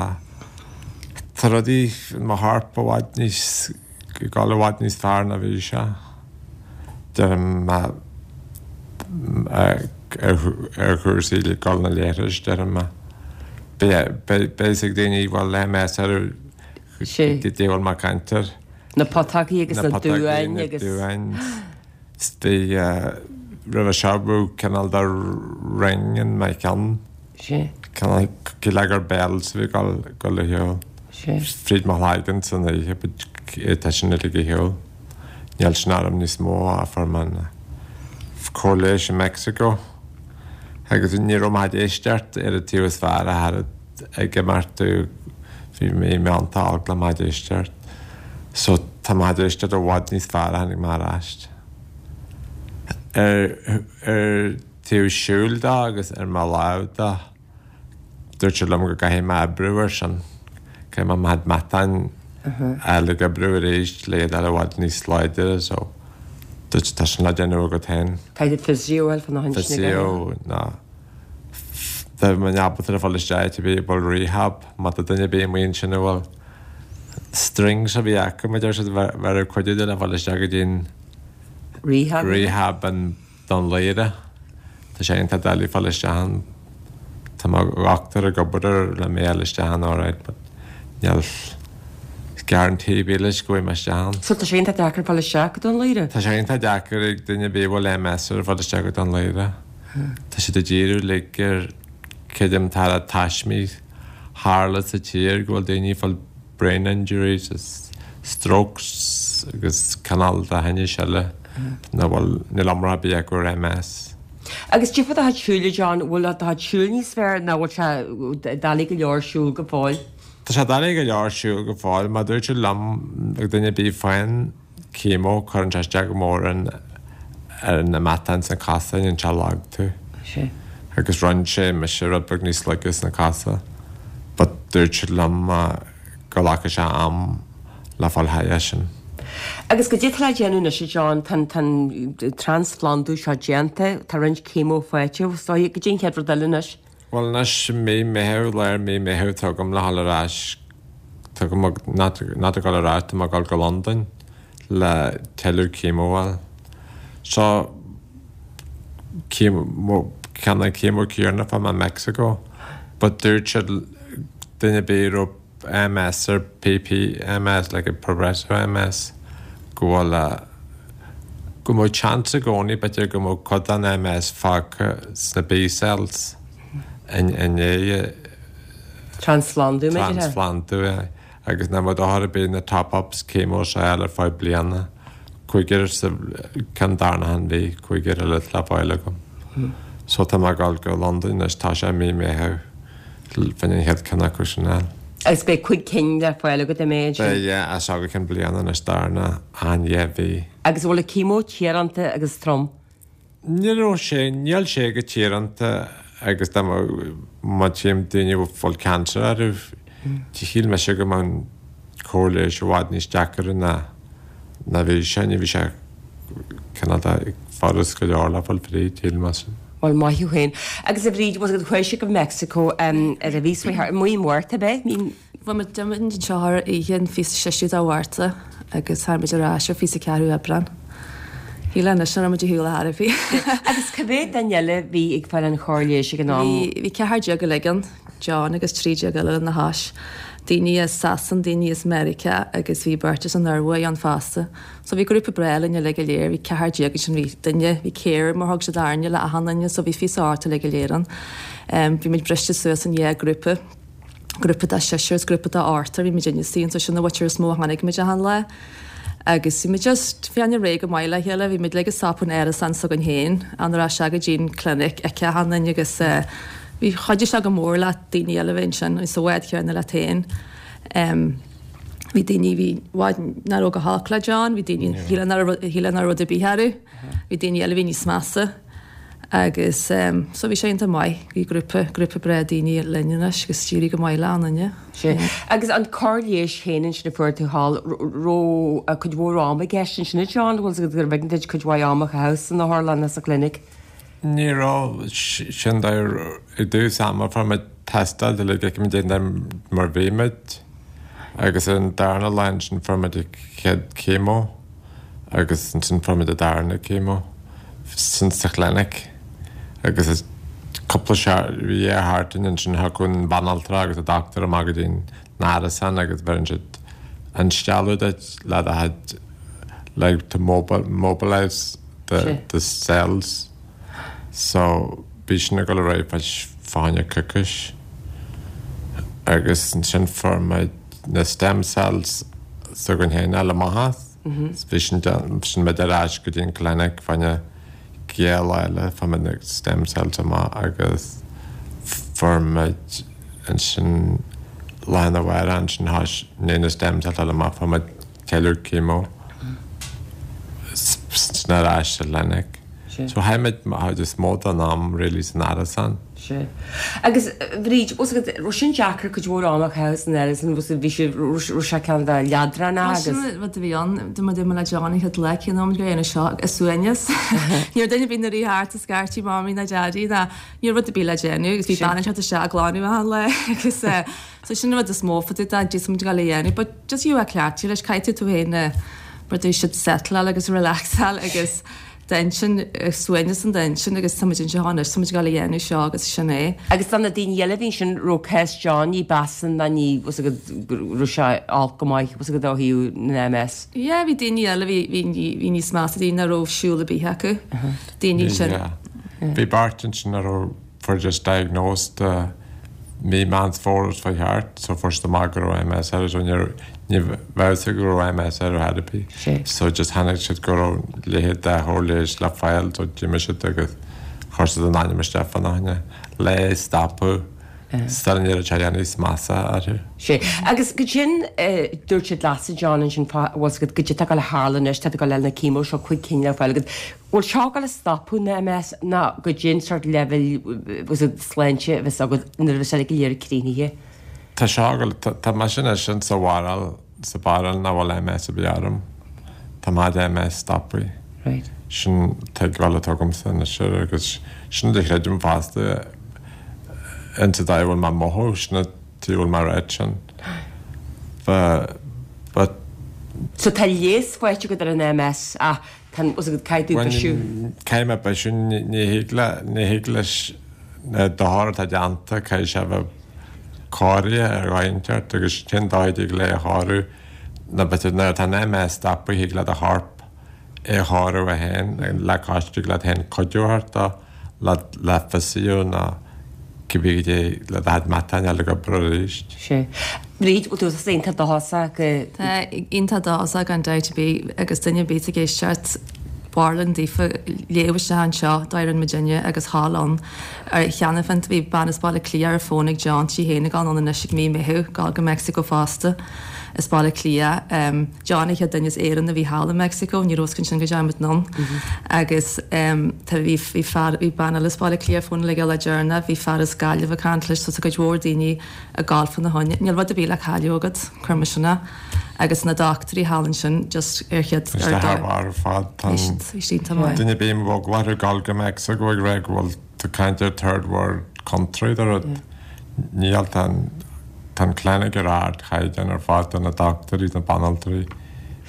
tá rudaí i mo chorp i bhfad níos, ag dul i bhfad níos fearr ná bhí sé. Deirim mé ar chúrsaí le dul na leithris, deirim mé. Beidh, beidh, beidh a fhios ag daoine a bhfuil MS orthu Sé. Goidé a bhfuil mé ag caint air. Na putógaí agus Na na putógaí, duáin na agus. duáin. Bhí, roimhe seo bhí cineál de ring in mo cheann. Sé. Cineál, cosúil gur bells a bhí ag dul, dul ar shiúl. Sé. Fríd mo chloigeann san oíche, but tá sin uilig ar shiúl. Níl sin orm níos mó ach fuair mé an cóir leighis i Meicsiceo. Agus ní raibh mé ag éisteacht ar an taobh is fearr a thairfead. ag imeacht bhí mé iontach olc le mo chuid éisteacht so tá mo chuid éisteacht i bhfad níos fearr ó tháinig mé ar ais. Ar ar taobh siúil de agus ar mo lámh de dúirt siad liom go gcaithfidh mé oibriú air sin, caithfidh mé mo chuid matáin a fháil ag oibriú arís le iad a fháil i bhfad níos láidre so dúirt siad tá sin le déanamh agat féin. Caithfidh physio a fháil fá na hintinne. Physio ná. Tá mé ábalta a fháil isteach áit ar bith a bhfuil rehab, má tá duine ar bith amuigh ansin a bhfuil strings a bhí acu, mar deir siad, bheadh cuidiú le fáil isteach go dtí an Rehab. rehab in Dún Laoghaire. Tá sé iontach doiligh fáil isteach ann. Tá mo dhochtúir ag obair air le mé a fháil isteach ann alright but níl guarantee ar bith leis go bhfaighidh mé isteach ann. So tá sé iontach deacair fáil isteach go Dún Laoghaire? Tá sé iontach deacair ag duine ar bith a bhfuil MS air fáil isteach go Dún Laoghaire. Tá siad ag díriú uilig ar creidim tá na taismí tharla sa tír go bhfuil daoine ag fáil brain injuries is strokes agus cineál de thinnis eile nach bhfuil, níl iomrá ar bith acu ar MS. Agus cad é fá do chuid siúil, a John, bhfuil do chuid siúil níos fearr nó bhfuil sé doiligh go leor siúl go fóill? Tá sé doiligh go leor siúl go fóill. Mar dúirt siad liom ag duine ar bith a fhaigheann chemo, cuireann sé isteach go mór ar na matáin sna cosa, déanann sé lag tú. Sea. Agus rinne sé mise rud beag níos laige sna cosa. But dúirt siad liom go nglacfadh sé am le fáil thar sin. Agus goidé atá le déanamh anois, a John, tá an trasphlandú seo déanta, tá roinnt chemo faighte, is dóigh, goidé an chéad rud eile anois? Bhuel anois mí Meitheamh, lár mí Meitheamh tá agam le dhul ar ais, tá agam not not ag dul ar ais, tá mé ag dul go Londain le tuilleadh chemo a fháil. So chemo, ceann an chemo céanna a fuair mé i Mexico, but dúirt siad duine ar bith a raibh MS or PPMS, like a progressive MS, go bhfuil go mbeadh chance i gcónaí b'fhéidir go mbeadh cuid den MS fágtha sna B cells i ndiaidh Trasphlandú, b'fhéidir? Trasphlandú, agus nach mbeadh dochar ar bith na top-ups chemo seo a fháil ar feadh bliana. Cúigear sa ceann darna han mhí, cúigear eile le fáil agam. So tá mé ag dul go Londain anois, tá sé mí Meitheamh fá choinne an chéad ceann acu sin a fháil. Agus beidh cúig cinn le fáil agat an méid sin? Beidh, yeah, as seo go ceann bliana anois darna an dhá mhí. Agus an bhfuil an chemo tíoránta agus trom? Ní raibh sé, níl sé go tíoránta agus dá mba, má tchím daoine a bhfuil cancer orthu, shíl mise go mbeadh an cóir leighis i bhfad níos deacair ná ná bhí sé, ní bhí sé cineál de furast go leor le fáil fríd, shíl mise. Bhuel, maith thú féin. Agus a Bhríd, bhfuil chuaigh sibh go Mexico ar an mhí seo i mí Márta, ab ea? Mí. Bhuel, muid d'imigh anseo ar oíche an fiche is seisiú de Mhárta agus tháinig muid ar ais ar fiche is ceathrú Aibreán. Shíl anois nach raibh muid ar shiúl ar chor ar bith. Agus cá mhéad duine eile a bhí ag fáil an chóir leighis ag an am? Bhí, bhí ceathair déag uilig ann, John agus trí déag eile lena chois. Daoine as Sasain, daoine as Meiriceá agus bhí beirt as an Ioruaidh ann fosta. So bhí grúpa breá linn uilig go léir, bhí ceathair déag ansin, bhí duine, bhí carer mar thug siad orainne le achan duine so bhí fiche is a hocht uilig go léir ann. Bhí muid briste suas in dhá grúpa. Grúpa de sheisear is grúpa de ochtar, bhí muid inne suí ann so sin an mhuintir is mó a chonaic muid achan lá. Agus bhí muid just, bhí an réidh go maith le chéile, bhí muid uilig ag stopadh in árasán s'againn féin, an raibh sé go dtí'n clinic aici achan duine agus eh bhí, chuidigh sé go mór le daoine eile a bheith ansin, sa bhád chéanna leat féin. Em bhí daoine, bhí i bhfad nach raibh go holc le John, bhí daoine, shíl nach raibh, shíl nach raibh rud ar bith orthu, bhí daoine eile a bhí níos measa. Agus so bhí sé iontach maith, bhí grúpa, grúpa breá daoine linn anois agus d'éirigh go maith le achan duine. Sea. Agus an cóir leighis féin ansin a fuair tú thall, raibh cuid mhór ama i gceist ansin a John, bhfuil 's agat gurbh éigean duit cuid mhaith ama a chaitheamh san otharlann nó sa chlinic? Ní raibh, sin i dtús ama fuair muid tástáil le go bhfeicfeadh muid mar bhí muid agus ar an darna lá ansin fuair muid an chéad chemo. Agus ansin fuair muid an darna chemo sin sa chlinic agus is cúpla bhí dhá sheachtain ansin thiocfadh an bhanaltra agus an dochtúir amach go dtí an árasán agus bheireann siad instealladh duit le do chuid like to mobilise the the cells so bhí sin ag dul ar aghaidh fá fá choinne coicís agus ansin fuair muid na stem cells s'againn féin a fháil amach as. Bhí sin sin muid ar ais go dtí an clinic fá choinne dhá lá eile fuair muid na stem cells amach agus fuair muid ansin lá arna mhárach ansin théis na stem cells eile amach fuair muid tuilleadh chemo sin ar ais sa chlinic. So chaith muid an chuid is mó den am really san árasán. Sea. Agus, a Bhríd, bhfuil 's agat, raibh sin deacair cuid mhór ama a chaitheamh san árasán, bhfuil 's agat, bhí sé, raibh sé cineál de leadránach agus. Sin an rud a bhí ann, dá mba dúirt mé le John an chéad lá, cén am go dhéanamh seo, is suaimhneas. Ní raibh duine ar bith ina rith thart ag scairtigh Mamaí ná Daidí ná ní raibh rud ar bith le déanamh agus bhí bean ag teacht isteach ag glanadh achan lá agus eh, so sin an rud is mó fá dtaobh de, d'íosfaidh muid a dhéanamh, but just you a cleachtadh leis, caithfidh tú tú féin a, mar dúirt siad settleáil agus relaxáil agus d'intinn, suaimhneas in d'intinn agus tá muid anseo anois, tá muid ag dul a dhéanamh seo agus sin é. Agus do na daoine eile a bhí ansin, raibh cás John ní b'fhearr ná ní, bhfuil 's agat, raibh sé olc go maith, bhfuil 's agat ó thaobh na MS. Yeah, bhí daoine eile bhí, bhí, bhí níos measa, daoine nach raibh siúl ar bith acu, daoine ansin. Yeah. Bhí beirt ansin a raibh fuair just diagnosed mí Meán Fómhair is fiche thart so fuair siad amach go raibh MS orthu so ní ní bheadh fhios acu go raibh MS orthu ar bith so just chonaic siad go raibh leithéid de chóir leighis le fáil so d'imigh siad agus chuir siad a n-ainm isteach fá choinne. Lá stopadh Still ní raibh sé níos measa orthu. Sé. Agus goidé dúirt siad leatsa John ansin fá bhfuil agat goidé atá ag dul a tharlú anois tá tú ag dul le na chemo seo cúig cinn le fáil agat. Bhfuil seo ag dul a stopadh na MS ná goidé an sort leibhéal bhfuil agat sláinte a bheas agat nuair a bheas sé go léir críochnaithe? Tá seo ag dul tá mise anois in sa bharúil sa bharúil nach bhfuil MS ar bith orm. Tá mé MS stoptha. Right. Sin tuigbheáil atá agamsa anois air agus sin a chreidim fosta insa dóigh a bhfuil mé ag mothú, sin an tuige a bhfuil mé ag ráit sin. But, but. So tá leigheas faighte agat ar an MS ach tá an, bhfuil caithfidh tú bisiú. Caithfidh mé bisiú, ní thig le, ní thig leis na dochar atá déanta, caithfidh sé a bheith cóirithe ar dhóigh inteacht agus sin dóigh a dtig le é a chóiriú ná b'fhéidir nuair atá an MS stoptha thig le do chorp é a chóiriú é féin le cois tig leat féin cuidiú a thabhairt dó le le physio nó cibé goidé le do chuid matáin a fháil ag obair arís. Sea. Bríd, bhfuil tú iontach dóchasach go. Tá iontach dóchasach gan dabht ar bith agus duine ar bith ag éisteacht b'fhearr linn daofa léamh isteach anseo dá fhoireann muidinne agus thall ann ar cheana féin bhí bean as Baile Átha Cliath ar an bhfón ag John sí féin ag dul ann anois ag mí Meitheamh dul go Meicsiceo fosta as Baile Átha Cliath John an chéad duine as Éirinn a bhí thall i Meicsiceo ní raibh fhios againn sin go dtí muid anonn agus tá bhí bhí fear bhí bean eile as Baile Átha Cliath ar fón le le deireanach bhí fear as Gaillimh ag caint leis so tá cuid mhór daoine ag gabháil fána choinne níl rud ar bith le cailleadh agat cuir mar sin é agus na dochtúirí thall ansin just ar chéad Tá sé thar barr ar fad tá an duine ar bith a bhfuil eagla orthu gabháil go Meicsiceo ag rá go bhfuil tú caint ar third world country de rud níl tá an Tá an clinic ar ardchaighdeán ar fad, tá na dochtúirí, na banaltraí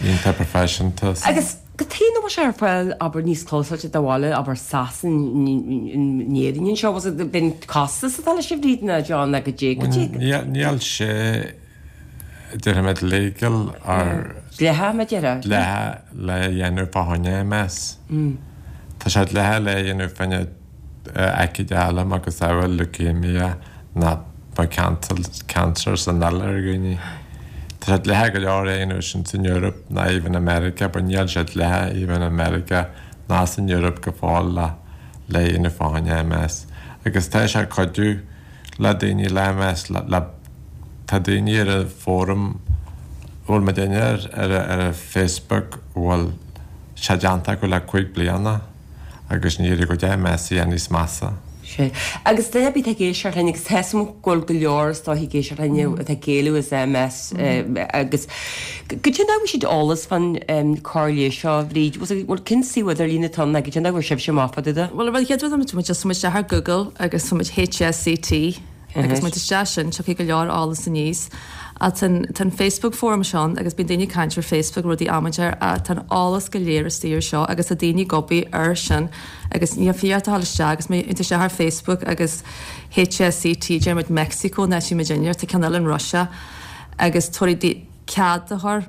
iontach proifisiúnta. Agus cad chuige nach bhfuil sé ar fáil, abair, níos clósáilte do bhaile, abair, Sasain, in Éirinn anseo, bhfuil sé, b'in costas atá leis a Bhríd ná John ná goidé, goidé. Níl sé, déarfaimid, legal or. Dleathach, mar a déarfá. Dleathach le dhéanamh fá choinne MS. Tá sé dleathach le dhéanamh fá choinne aicíd eile macasamhail leukemia ná ba cancer san eile ar dhaoine. Tá sé dleathach go leor é a dhéanamh sin san Eoraip ná even i Meiriceá but níl sé dleathach even i Meiriceá ná san Eoraip go fóill le le dhéanamh fá choinne MS. Agus tá sé ag cuidiú le daoine le MS le le tá daoine ar an fóram a bhfuil muidinne air ar ar an Facebook a bhfuil sé déanta acu le cúig bliana. agus ní raibh a gcuid MS níos measa. Sea. Agus duine ar bith atá ag éisteacht linn, agus tá 'fhios agam go bhfuil go leor is dóichí ag éisteacht linn atá ag éalú as MS agus goidé an dóigh a bhfuil siad eolas fán cóir leighis seo, a Bhríd, bhfuil cén suíomh idirlín atá ann nó goidé an dóigh a bhfuair sibhse amach fá dtaobh de? Bhuel, an chéad rud a muid just muid isteach ar Google agus tá muid HSCT agus muid isteach sin, tiocfaidh go leor eolas aníos. Ach tá an, tá an Facebook forum seo ann agus bíonn daoine ag caint ar Facebook rudaí amaideach ach tá an eolas go léir istigh ar seo agus tá daoine ag obair air sin agus ní fiú ort a dhul isteach agus má théann tú isteach ar Facebook agus HSCT deir muid Mexico an áit a bhí muid inniu, tá ceann eile in Russia agus tabharfaidh cead a chur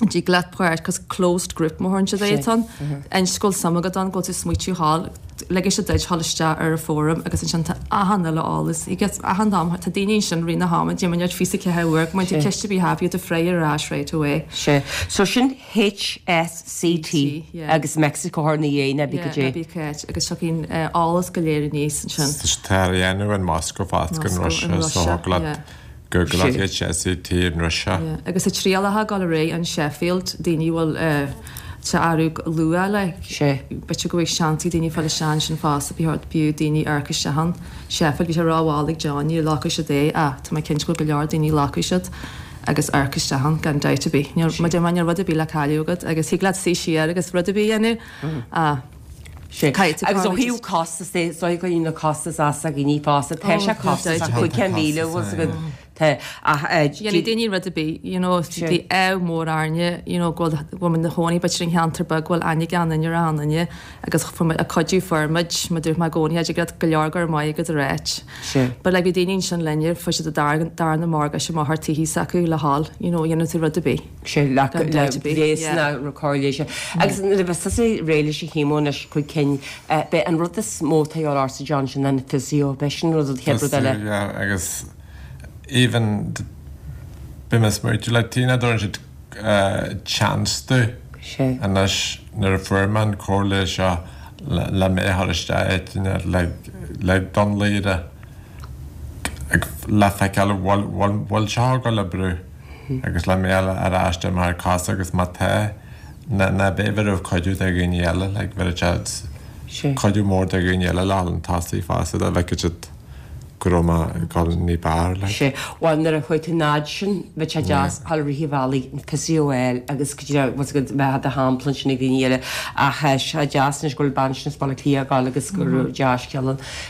dtig leat páirt cos closed group mar a thugann siad é atá ann. Inis go bhfuil suim agat ann, go bhfuil tú ag smaoitiú thall, ligfidh siad duit dhul isteach ar an fóram agus ansin tá achan uile eolas, you get achan am, tá daoine ansin rith na hama, déanann muid fiche ceathair uair, go mbeidh tú ceist ar bith happy to fry ar ais right away. Sea. So sin HSCT agus Mexico thoir na dhiaidh ná bí goidé. Yeah, ná bí cáit agus tiocfaidh an eolas go léir aníos ansin. Tá á dhéanamh in Moscow fosta in Russia so thig leat Google HSCT in Russia. Agus tá trialacha ag dul ar aghaidh in Sheffield, daoine a bhfuil sé athrú luath like. B'fhéidir go bhfuil seans ag daoine fáil isteach ansin fosta, b'fhiú daoine amharc isteach ann. Sheffield, bhí sé rómhall ag John, níor ghlacadh siad é ach tá mé cinnte go bhfuil go leor daoine a ghlacfaidh siad agus amharc isteach ann gan dabht ar bith. Níl, mar a deir mé, níl rud ar bith le cailleadh agat agus thig leat suí siar agus rud ar bith a dhéanamh ach Sea. caithfidh tú Agus ó thaobh costas de, is dóigh go bhfuil na costais as ag daoine fosta. Tá sé costasach, cúig chéad míle, bhfuil 's agat, tá, ach eh, Dhéanfaidh daoine rud ar bith, you know, bhí ádh mór orainne, you know, go bhfuil, go bhfuil muid 'na chónaí b'fhéidir in cheantar beag go bhfuil aithne ag achan duine ar achan duine agus fuair muid, a cuidiú fuair muid, mar dúirt mé i gcónaí, tig leat go leor go raibh maith agat a ráit. Sea. But like bhí daoine ansin linne, fuair siad a dara, darna morgáiste amach ar tithe s'acu le dhul, you know, dhéanfadh tú rud ar bith. Sea, le gléasanna cóir leighis. Agus nuair a bheas tusa réidh leis an chemo anois, cúig cinn, b'é an rud is mó atá a dhíobháil ortsa John, sin an physio, b'é sin an rud, an chéad rud eile. Physio, yeah, agus even bím ag smaoitiú, like tí nach dtabharann siad chance domh anois nuair a fuair mé an cóir leighis seo le mé a chur isteach áit éigin like Dún Laoghaire. ag le feiceáil bhfuil bhfuil seo ag dul a oibriú agus le mé ar ais de mar cás agus má tá na na b'fhéidir raibh cuidiú de dhaoine eile like bheadh siad cuidiú mór de dhaoine eile le chun tosaigh fosta dá bhfeicfeadh siad go raibh mé ag dul ní b'fhearr like. Sea, bhuel nuair a chuaigh tú an fhad sin bheadh sé deas dhul rith an bhealaigh an physio a fháil agus go dtí bhfuil a fhios agat bheith do shampla ansin ag daoine eile ach tá sé deas anois go bhfuil bean sin as Baile Átha Cliath ag dul agus go raibh dea-scéal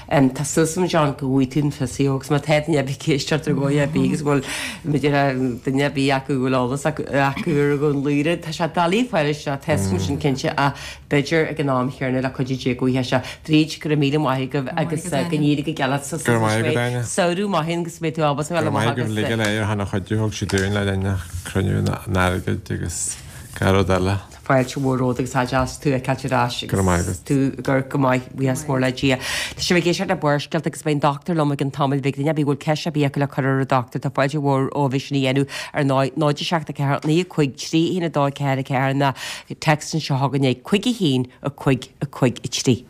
ann. Tá súil agam John go bhfaighidh tú an physio agus má tá duine ar bith ag éisteacht ar dhóigh ar bith agus go bhfuil b'fhéidir duine ar bith acu go bhfuil eolas acu acu ar Dhún Laoghaire tá sé doiligh fáil isteach tá a fhios agam sin cinnte ach b'fhéidir ag an am chéanna le cuidiú Dé go bhfaighidh sé. Bríd, go raibh míle maith agaibh agus go n-éirí go geal leat sa Go raibh maith agat, Áine. Samhradh maith agus go mbeidh tú ábalta a Go bheith raibh maith amach agaibh agus. uilig go léir thar a chuidiú thug siad dúinn le linn cruinniú an airgid agus gach rud eile. Fáilte mhór romhat agus tá deas tú a fheiceáilt ar ais Go raibh maith agus agat. tú ag amharc go maith, buíochas mór le Dia. Tá sibh ag éisteacht le Barrscéalta agus beidh an dochtúir liom i gcionn tamaill bheag. Duine ar bith a bhfuil ceist ar bith acu le cur ar an dochtúir tá fáilte mhór romhaibh sin a dhéanamh ar náid náid a seacht a ceathair naoi a cúig trí a haon a dó a ceathair a ceathair nó text anseo chugainn ag cúig a haon a cúig a cúig a trí.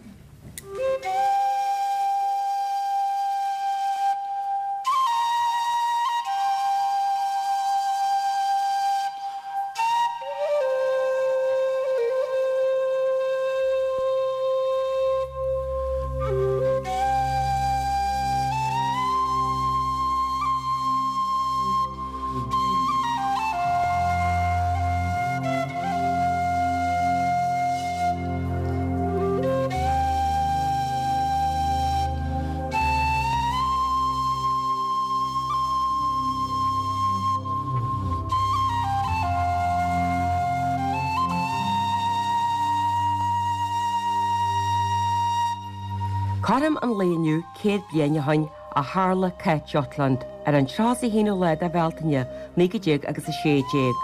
Cothrom an lae inniu céad bliain ó shin a tharla Cath Jutland ar an tríocha a haonú lá de Bhealtaine naoi déag agus a sé déag.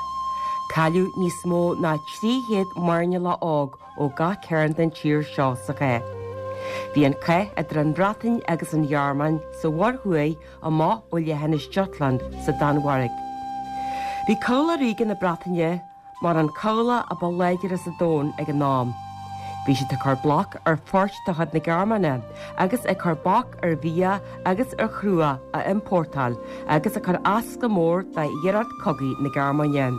Cailleadh níos mó ná trí chéad mairnéalach óg ó gach cearn den tír seo sa chath. Bhí an cath idir an Bhreatain agus an Ghearmáin sa Mhuir Thuaidh amach ó leithinis Jutland sa Danmhairg. Bhí Cabhlach Ríoga na Breataine mar an cabhlach a ba láidre sa domhan ag an am. Bhí siad ag cur bloc ar phoirt de chuid na Gearmáine agus ag cur bac ar bhia agus ar chrua a iompórtáil agus ag cur as go mór d'iarracht cogaidh na Gearmáine.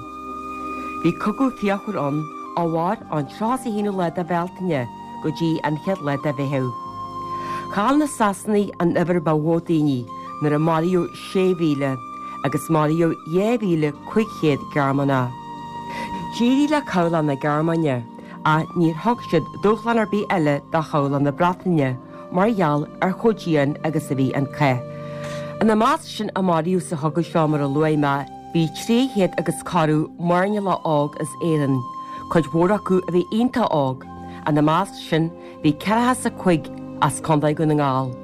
Bhí cogadh fíochmhar ann a mhair ón tríocha a haonú lá de Bhealtaine go dtí an chéad lá de Mheitheamh. Chaill na Sasanaigh an uimhir ba mhó daoine nuair a maraíodh sé mhíle agus maraíodh dhá mhíle cúig chéad Gearmánach. D'éirigh le cabhlach na Gearmáine ach níor thug siad dúshlán ar bith eile do chabhlach na Breataine mar gheall ar chomh dian agus a bhí an cath. Ina measc sin a maraíodh sa chogadh seo mar a luaigh mé, bhí trí chéad agus corradh mairnéalach óg as Éirinn, cuid mhór acu a bhí iontach óg. Ina measc sin bhí ceathracha is a cúig as Contae Dhún na nGall.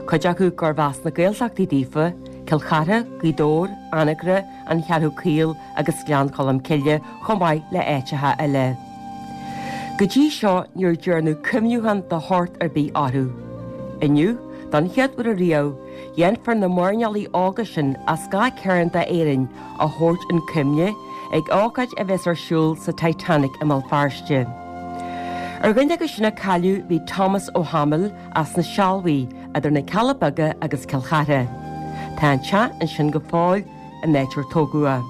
Cuid acu gurbh as na Gaeltachtaí daofa, Cill Chartha, Gaoth Dobhair, Anagaire, An Cheathrú Caol agus Gleann Cholm Cille chomh maith le áiteacha eile. Go dtí seo níor dearnadh cuimhneachán de shórt ar bith orthu. Inniu, don chéad uair ariamh, dhéanfar na mairnéalaigh óga sin as gach cearn d'Éirinn a thabhairt chun cuimhne ag ócáid a bheas ar siúl sa Titanic i mBéal Feirste. Ar dhuine acu sin a cailleadh bhí Thomas Ó hAdhmaill as na Sealbhaí idir na Cealla Beaga agus Cill Chartha. Tá an teach ansin go fóill an áit ar tógadh é.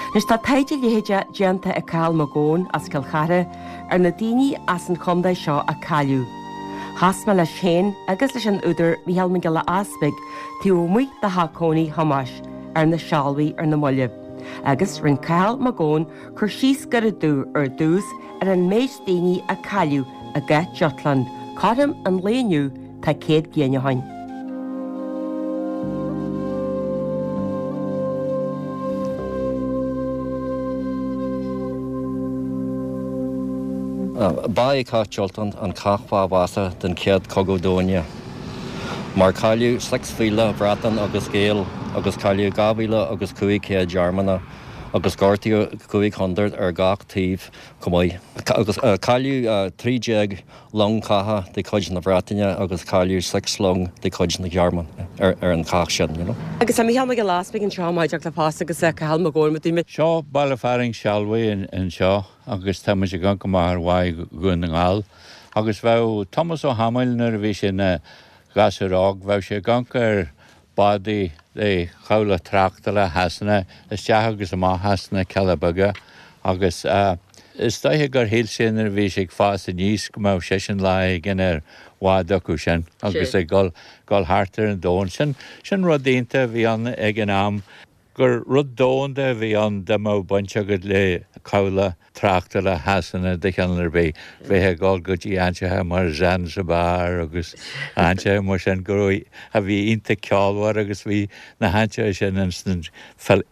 Anois tá taighde leitheadach déanta ag Cathal Mac Gabhann as Cill Chartha ar na daoine as an chontae seo a cailleadh. Chas mé leis féin agus leis an údar Mícheál Mac Giolla Easpaig taobh amuigh de theach cónaí Thomáis ar na Sealbhaí ar na mallaibh. Agus rinne Cathal Mac Gabhann cur síos gairid domh ar dtús ar an méid daoine a cailleadh i gCath Jutland, cothrom an lae inniu tá céad bliain ó shin. Ba é Cath Jutland an cath ba mheasa den Chéad Chogadh Domhanda. Mar cailleadh seacht mhíle Breatain agus Gael agus cailleadh dhá mhíle agus cúig chéad Gearmánach agus gortaíodh cúig hundred ar gach taobh chomh maith. Agus cailleadh trí déag long catha de chuid na Breataine agus cailleadh seacht long de chuid na Gearmáine ar ar an chath sin, you know. Agus tá Mícheál Mac Giolla Easpaig anseo maidir le fás agus Cathal Mac Gabhann muid. Seo baile fearainn Sealbhaí anseo agus tá muid ag amharc amach ar Bháigh Dhún na nGall. Agus bheadh Thomas Ó hAdhmaill nuair a bhí sé ina ghasúr óg, bheadh sé ag amharc ar bádaí de chabhlach tráchtála Shasana isteach agus amach as na Cealla Beaga agus is dóiche gur shíl sé nuair a bhí sé ag fás aníos go mbeadh seisean lá éigin ar bhád acu sin agus ag dul dul thart ar an domhan. Sin sin rud iontach a bhí ann ag an am gur rud domhanda a bhí ann dá mbeadh baint agat le cabhlach tráchtála Shasana de chineál ar bith, bheith ag dul go dtí áiteacha mar Zanzibar agus áiteacha mar sin go raibh, a bhí iontach ceolmhar agus bhí na háiteacha sin ins an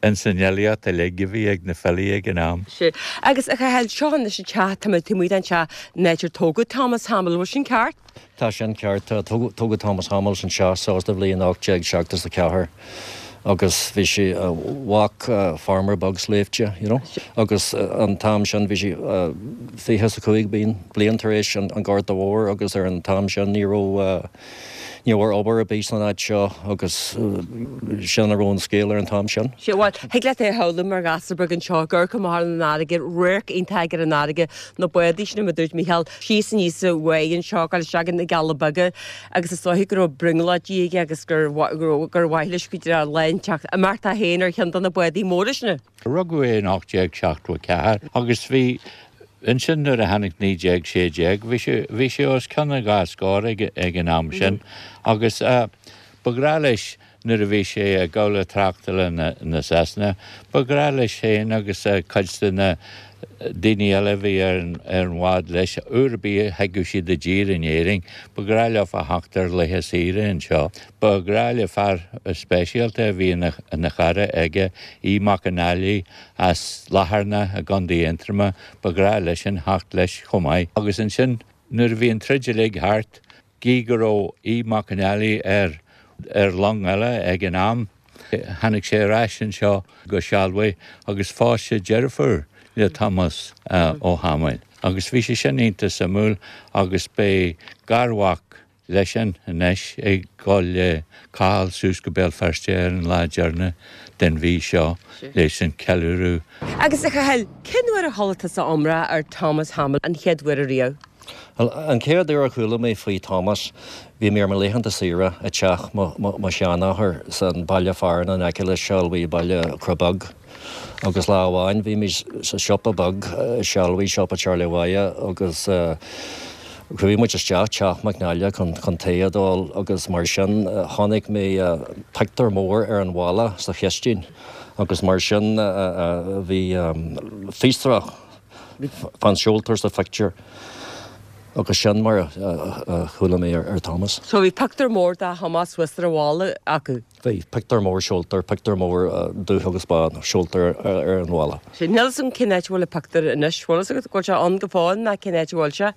ins an fhilíocht uilig a bhí ag na filí ag an am. Sea. Agus a Chathail, seo anois an teach, tá muid taobh amuigh den teach, an áit ar tógadh Thomas Hamill, bhfuil sin ceart? Tá sin ceart. Tógadh Thomas Hamill anseo sa bhliain ocht déag seachtó a ceathair. agus bhí sé mhac farmer beag sléibhte, you know. Agus an t-am sin bhí sé fiche is a cúig bliain tar éis an Ghorta Mhóir agus ar an t-am sin ní raibh ní raibh obair ar bith san áit seo agus sin a raibh an scéal ar an t-am sin. Sea, bhuel, thig leat é a shamhlú mar ghasúr beag anseo, ag amharc amach ar an fharraige, radharc iontach ar an fharraige, na bádaí sin mar a dúirt Mícheál, síos aníos an bháigh anseo, ag dul isteach na gCealla Beaga agus is dóiche go raibh brionglóidí aige agus gur gur mhaith leis go dtí lá inteacht imeacht é féin ar cheann de na bádaí móra sin. Rugadh é in ocht déag seachtó a ceathair agus bhí ansin nuair a tháinig naoi déag sé déag bhí sé bhí sé os cionn an dhá scór ag ag an am sin agus ba ghnách leis nuair a bhí sé i gcabhlach tráchtála na na Sasana ba ghnách leis féin agus cuid de na daoine eile a bhí ar an ar an bhád leis, uair ar bith a thigeadh siad i dtír in Éirinn, ba ghnách leo a theacht ar laetha saoire anseo. Ba ghnách le fear speisialta a bhí ina ina chara aige, Aodh Mac an Fhailigh as Latharna i gContae Aontroma, ba ghnách leisean theacht leis chomh maith. Agus ansin nuair a bhí an troid uilig thart, gidh go raibh Aodh Mac an Fhailigh ar ar long eile ag an am, tháinig sé ar ais anseo go Sealbhaigh agus phós sé deirfiúr le Tomás Ó hAdhmaill. Agus bhí sé sin iontach suimiúil agus beidh garmhac leisean anois ag dul le Cathal suas go Béal Feirste ar an lá deireanach den mhí seo leis an ceiliúradh. Agus a Chathail, cén uair a chuala tusa iomrá ar Thomas Hamill an chéad uair ariamh? Bhuel, an chéad uair a chuala mé faoi Thomas, bhí mé ar mo laethanta saoire i dteach mo, mo, mo sheanathair san baile fearainn in aice le Sealbhaí, baile Cró Beag. Agus lá amháin bhí mé sa siopa beag i Sealbhaí, siopa Charlie Mhaighe, agus chuaigh muid isteach teach McNally chun, chun tae a d'ól agus mar sin chonaic mé pictiúr mór ar an bhalla sa chistin agus mar sin bhí fiosrach fán seoltóir sa phictiúr agus sin mar a chuala mé ar Thomas. So bhí pictiúr mór de Thomas thuas ar an bhalla acu? Bhí, pictiúr mór seoltóir, pictiúr mór dubh agus bán seoltóir ar an bhalla. Níl fhios agam cén áit a bhfuil an pictiúr anois, bhfuil fhios agat go bhfuil sé ann go fóill nó cén áit a bhfuil sé?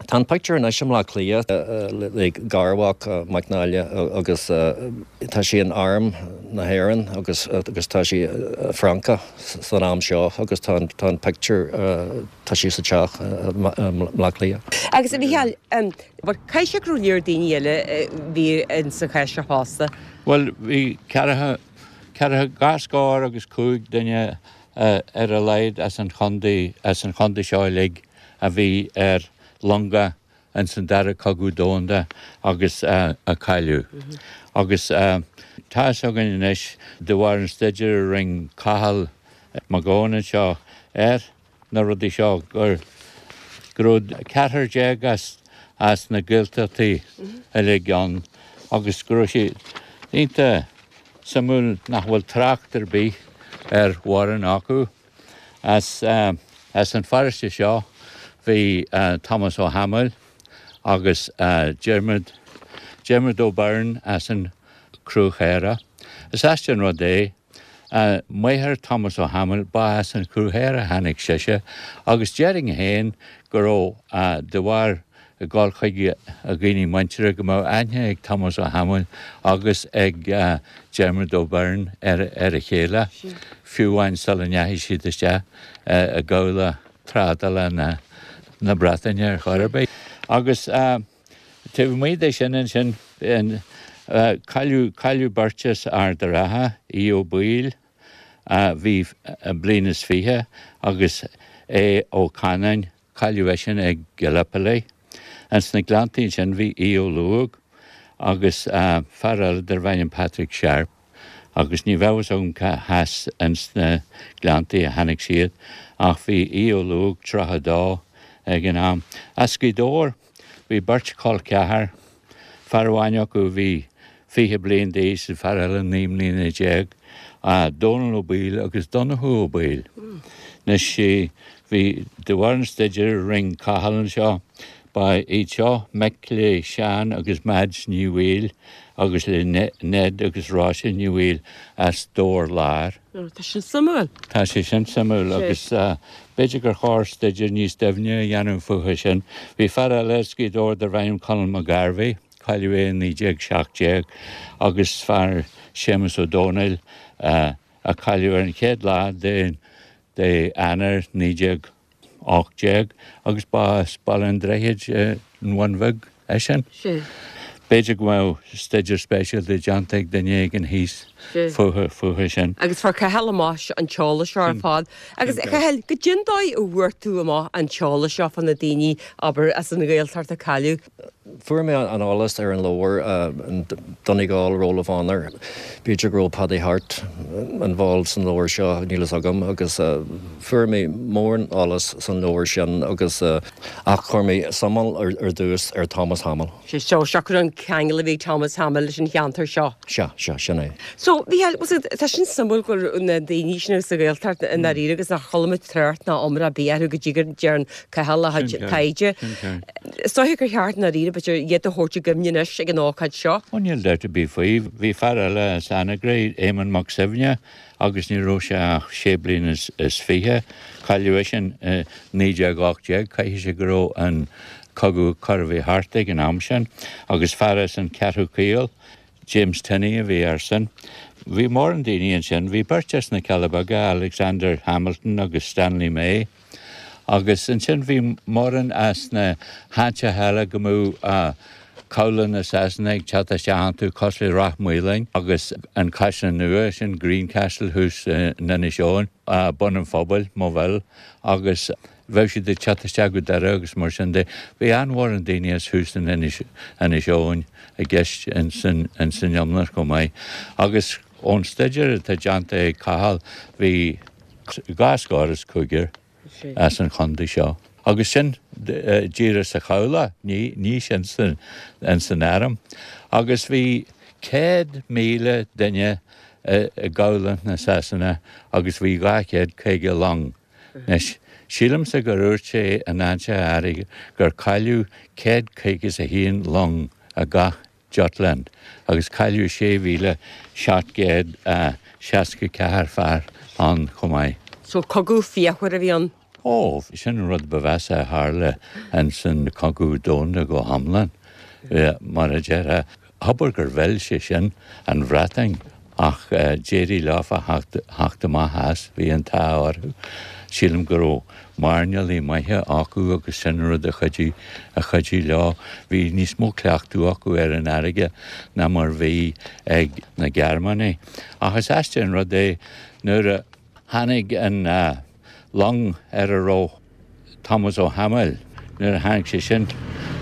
Tá an pictiúr anois i mBleá Cliath le garmhac McNally agus tá sé in Arm na hÉireann agus agus tá sé i Frainc san am seo agus tá an tá an pictiúr tá sé sa teach i mBleá Cliath. Agus a Mhícheáil, caithfidh sé go raibh lear daoine eile a bhí in sa chás seo fosta? Bhuel bhí ceathracha ceathracha dhá scór agus cúig duine ar a laghad as an chontae as an chontae seo uilig a bhí ar longa ins an Dara Cogadh Domhanda agus a cailleadh. Agus tá fhios againn anois, de bharr an staidéir a rinne Cathal Mac Gabhann anseo ar na rudaí seo, gur go raibh ceathrar déag as as na Gaeltachtaí uilig ann agus go raibh sé iontach suimiúil nach bhfuil trácht ar bith ar mhórán acu. As as an pharóiste seo bhí Tomás Ó hAdhmaill agus Diarmuid Diarmuid Ó Beirn as an Chruachaora. Is aisteach an rud é, máthair Thomas Ó hAdhmaill, ba as an Chruachaora a tháinig sise agus déarfainn féin go raibh de bharr ag dul chuig a dhaoine muinteartha go mbeadh aithne ag Tomás Ó hAdhmaill agus ag Diarmuid Ó Beirn ar a chéile, fiú amháin sula ndeachaigh siad isteach i gcabhlach trádála na Breataine ar chor ar bith. Agus taobh amuigh de sin ansin, cailleadh, cailleadh beirt as Ard a' Rátha, Aodh Ó Baoill, a bhí bliain is fiche, agus Aodh Ó Canáin, Cailleadh eisean ag Gallipoli. Ins na Gleanntaí ansin bhí Aodh Ó Lúg agus fear eile darbh ainm Patrick Sharp agus ní bheadh fhios agam cá has ins na Gleanntaí a tháinig siad ach bhí Aodh Ó Lúg tríocha dó ag an am. As Gaoth Dobhair bhí beirt chol ceathar, fear amháin acu a bhí fiche bliain d'aois an fear eile naoi mbliana déag, Dónal Ó Baoill agus Donnchadh Ó Baoill. Anois bhí, de bharr an staidéir a rinne Cathal anseo, ba iad seo mic le Seán agus Mads Ní Bhaoill agus le Ned agus Róise Ní Bhaoill as Dobhar Láir. Tá sin suimiúil. Tá sé sin suimiúil agus b'fhéidir gur chóir staidéar níos doimhne a dhéanamh fúthu sin. Bhí fear eile as Gaoth Dobhair darbh ainm Conall McGarvey, cailleadh é i naoi déag seacht déag, agus fear Séamus Ó Domhnaill a cailleadh ar an chéad lá de Eanáir naoi déag ocht déag agus ba as Baile an Droichid an Bhun Bhig eisean. B'fhéidir go mbeadh staidéar speisialta déanta ag duine éigin thíos fúthu sin. Agus fuair Cathal amach an t-eolas seo ar fad. Agus a Chathail, goidé an dóigh a bhfuair tú amach an t-eolas seo fá na daoine, abair, as an Ghaeltacht a cailleadh? Fuair mé an eolas ar an leabhar Donegal Roll of Honour. B'fhéidir go raibh Paddy Harte involved san leabhar seo, níl fhios agam, agus fuair mé mórán eolas san leabhar sin agus ach chuir mé suim ar dtús ar Thomas Hamill. Sea, so siocair an ceangal a bhí ag Thomas Hamill leis an cheantar seo. Sea, sea, sin é. So, Mhícheáil, was it, tá sin suimiúil go raibh na daoine sin sa Ghaeltacht i ndáiríre agus nár chuala muid trácht ná iomrá ar bith orthu go dtí go ndearn Cathal a chuid taighde. Is dóiche gur cheart i ndáiríre, b'fhéidir, iad a thabhairt i gcuimhne anois ag an ócáid seo. Ó, níl dabht ar bith faoi. Bhí fear eile as Anagaire, Éamonn Mac Suibhne, agus ní raibh sé ach sé bliana is fiche. Cailleadh eisean i naoi déag ocht déag. Caithfidh sé go raibh an cogadh chóir a bheith thart ag an am sin. Agus fear as an Cheathrú Caol, James Tinney a bhí airsean. Bhí mórán daoine ansin. Bhí beirt as na Cealla Beaga, Alexander Hamilton agus Stanley May. Agus ansin bhí mórán as na háiteacha eile go mbeadh cabhlaigh na Sasana ag teacht isteach iontu, cosúil le Ráth Maoláin agus an Caisleán Nua, sin Greencastle thuas in Inis Eoghain, Bun an Phobail, Moville, agus bheadh siad ag teacht isteach go Doire agus mar sin de. Bhí an-mhórán daoine as thuas in Inis Eoghain i gceist ins an iomlán chomh maith. Agus ón staidéar atá déanta ag Cathal, bhí dhá scór is cúigear as an chontae seo. Agus sin díreach sa chabhlach, ní sin san arm. Agus bhí céad míle duine i gcabhlach na Sasana agus bhí dhá chéad caoga long. Anois, sílimse gur dhúirt sé in áit áirithe gur cailleadh céad caoga is a haon long i gCath Jutland agus cailleadh sé mhíle seacht gcéad seasca ceathair fear ann chomh maith. So cogadh fíochmhar a bhí ann? Ó, sin an rud ba mheasa a tharla ins an Cogadh Domhanda go hiomlán, mar a déarfá. Abair gur mhill sé sin an Bhreatain ach d'éirigh leofa theacht amach as, bhí an t-ádh orthu. Sílim go raibh mairnéalaigh maithe acu agus sin an rud a chuidigh, a chuidigh leo. Bhí níos mó cleachtadh acu ar an fharraige ná mar bhí ag na Gearmánaigh. Ach is aisteach an rud é nuair a tháinig an long ar a raibh Tomás Ó hAdhmaill, nuair a tháinig sé sin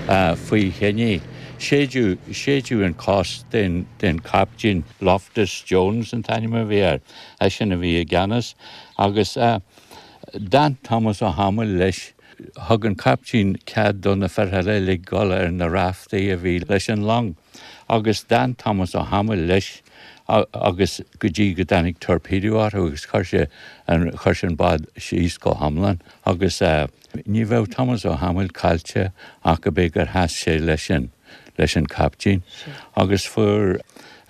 faoi thine, séideadh, séideadh an cos den, den chaiptín, Loftus Jones an t-ainm a bhí air, eisean a bhí i gceannas agus d'fhan Tomás Ó hAdhmaill leis. Thug an caiptín cead do na fir eile uilig dul ar na raftaí a bhí leis an long agus d'fhan Tomás Ó hAdhmaill leis agus go dtí go dtáinig torpedo orthu agus chuir sé an chuir sé an bád síos go hiomlán agus ní bheadh Tomás Ó hAdhmaill caillte ach go b'é gur sheas sé leis an leis an caiptín agus fuair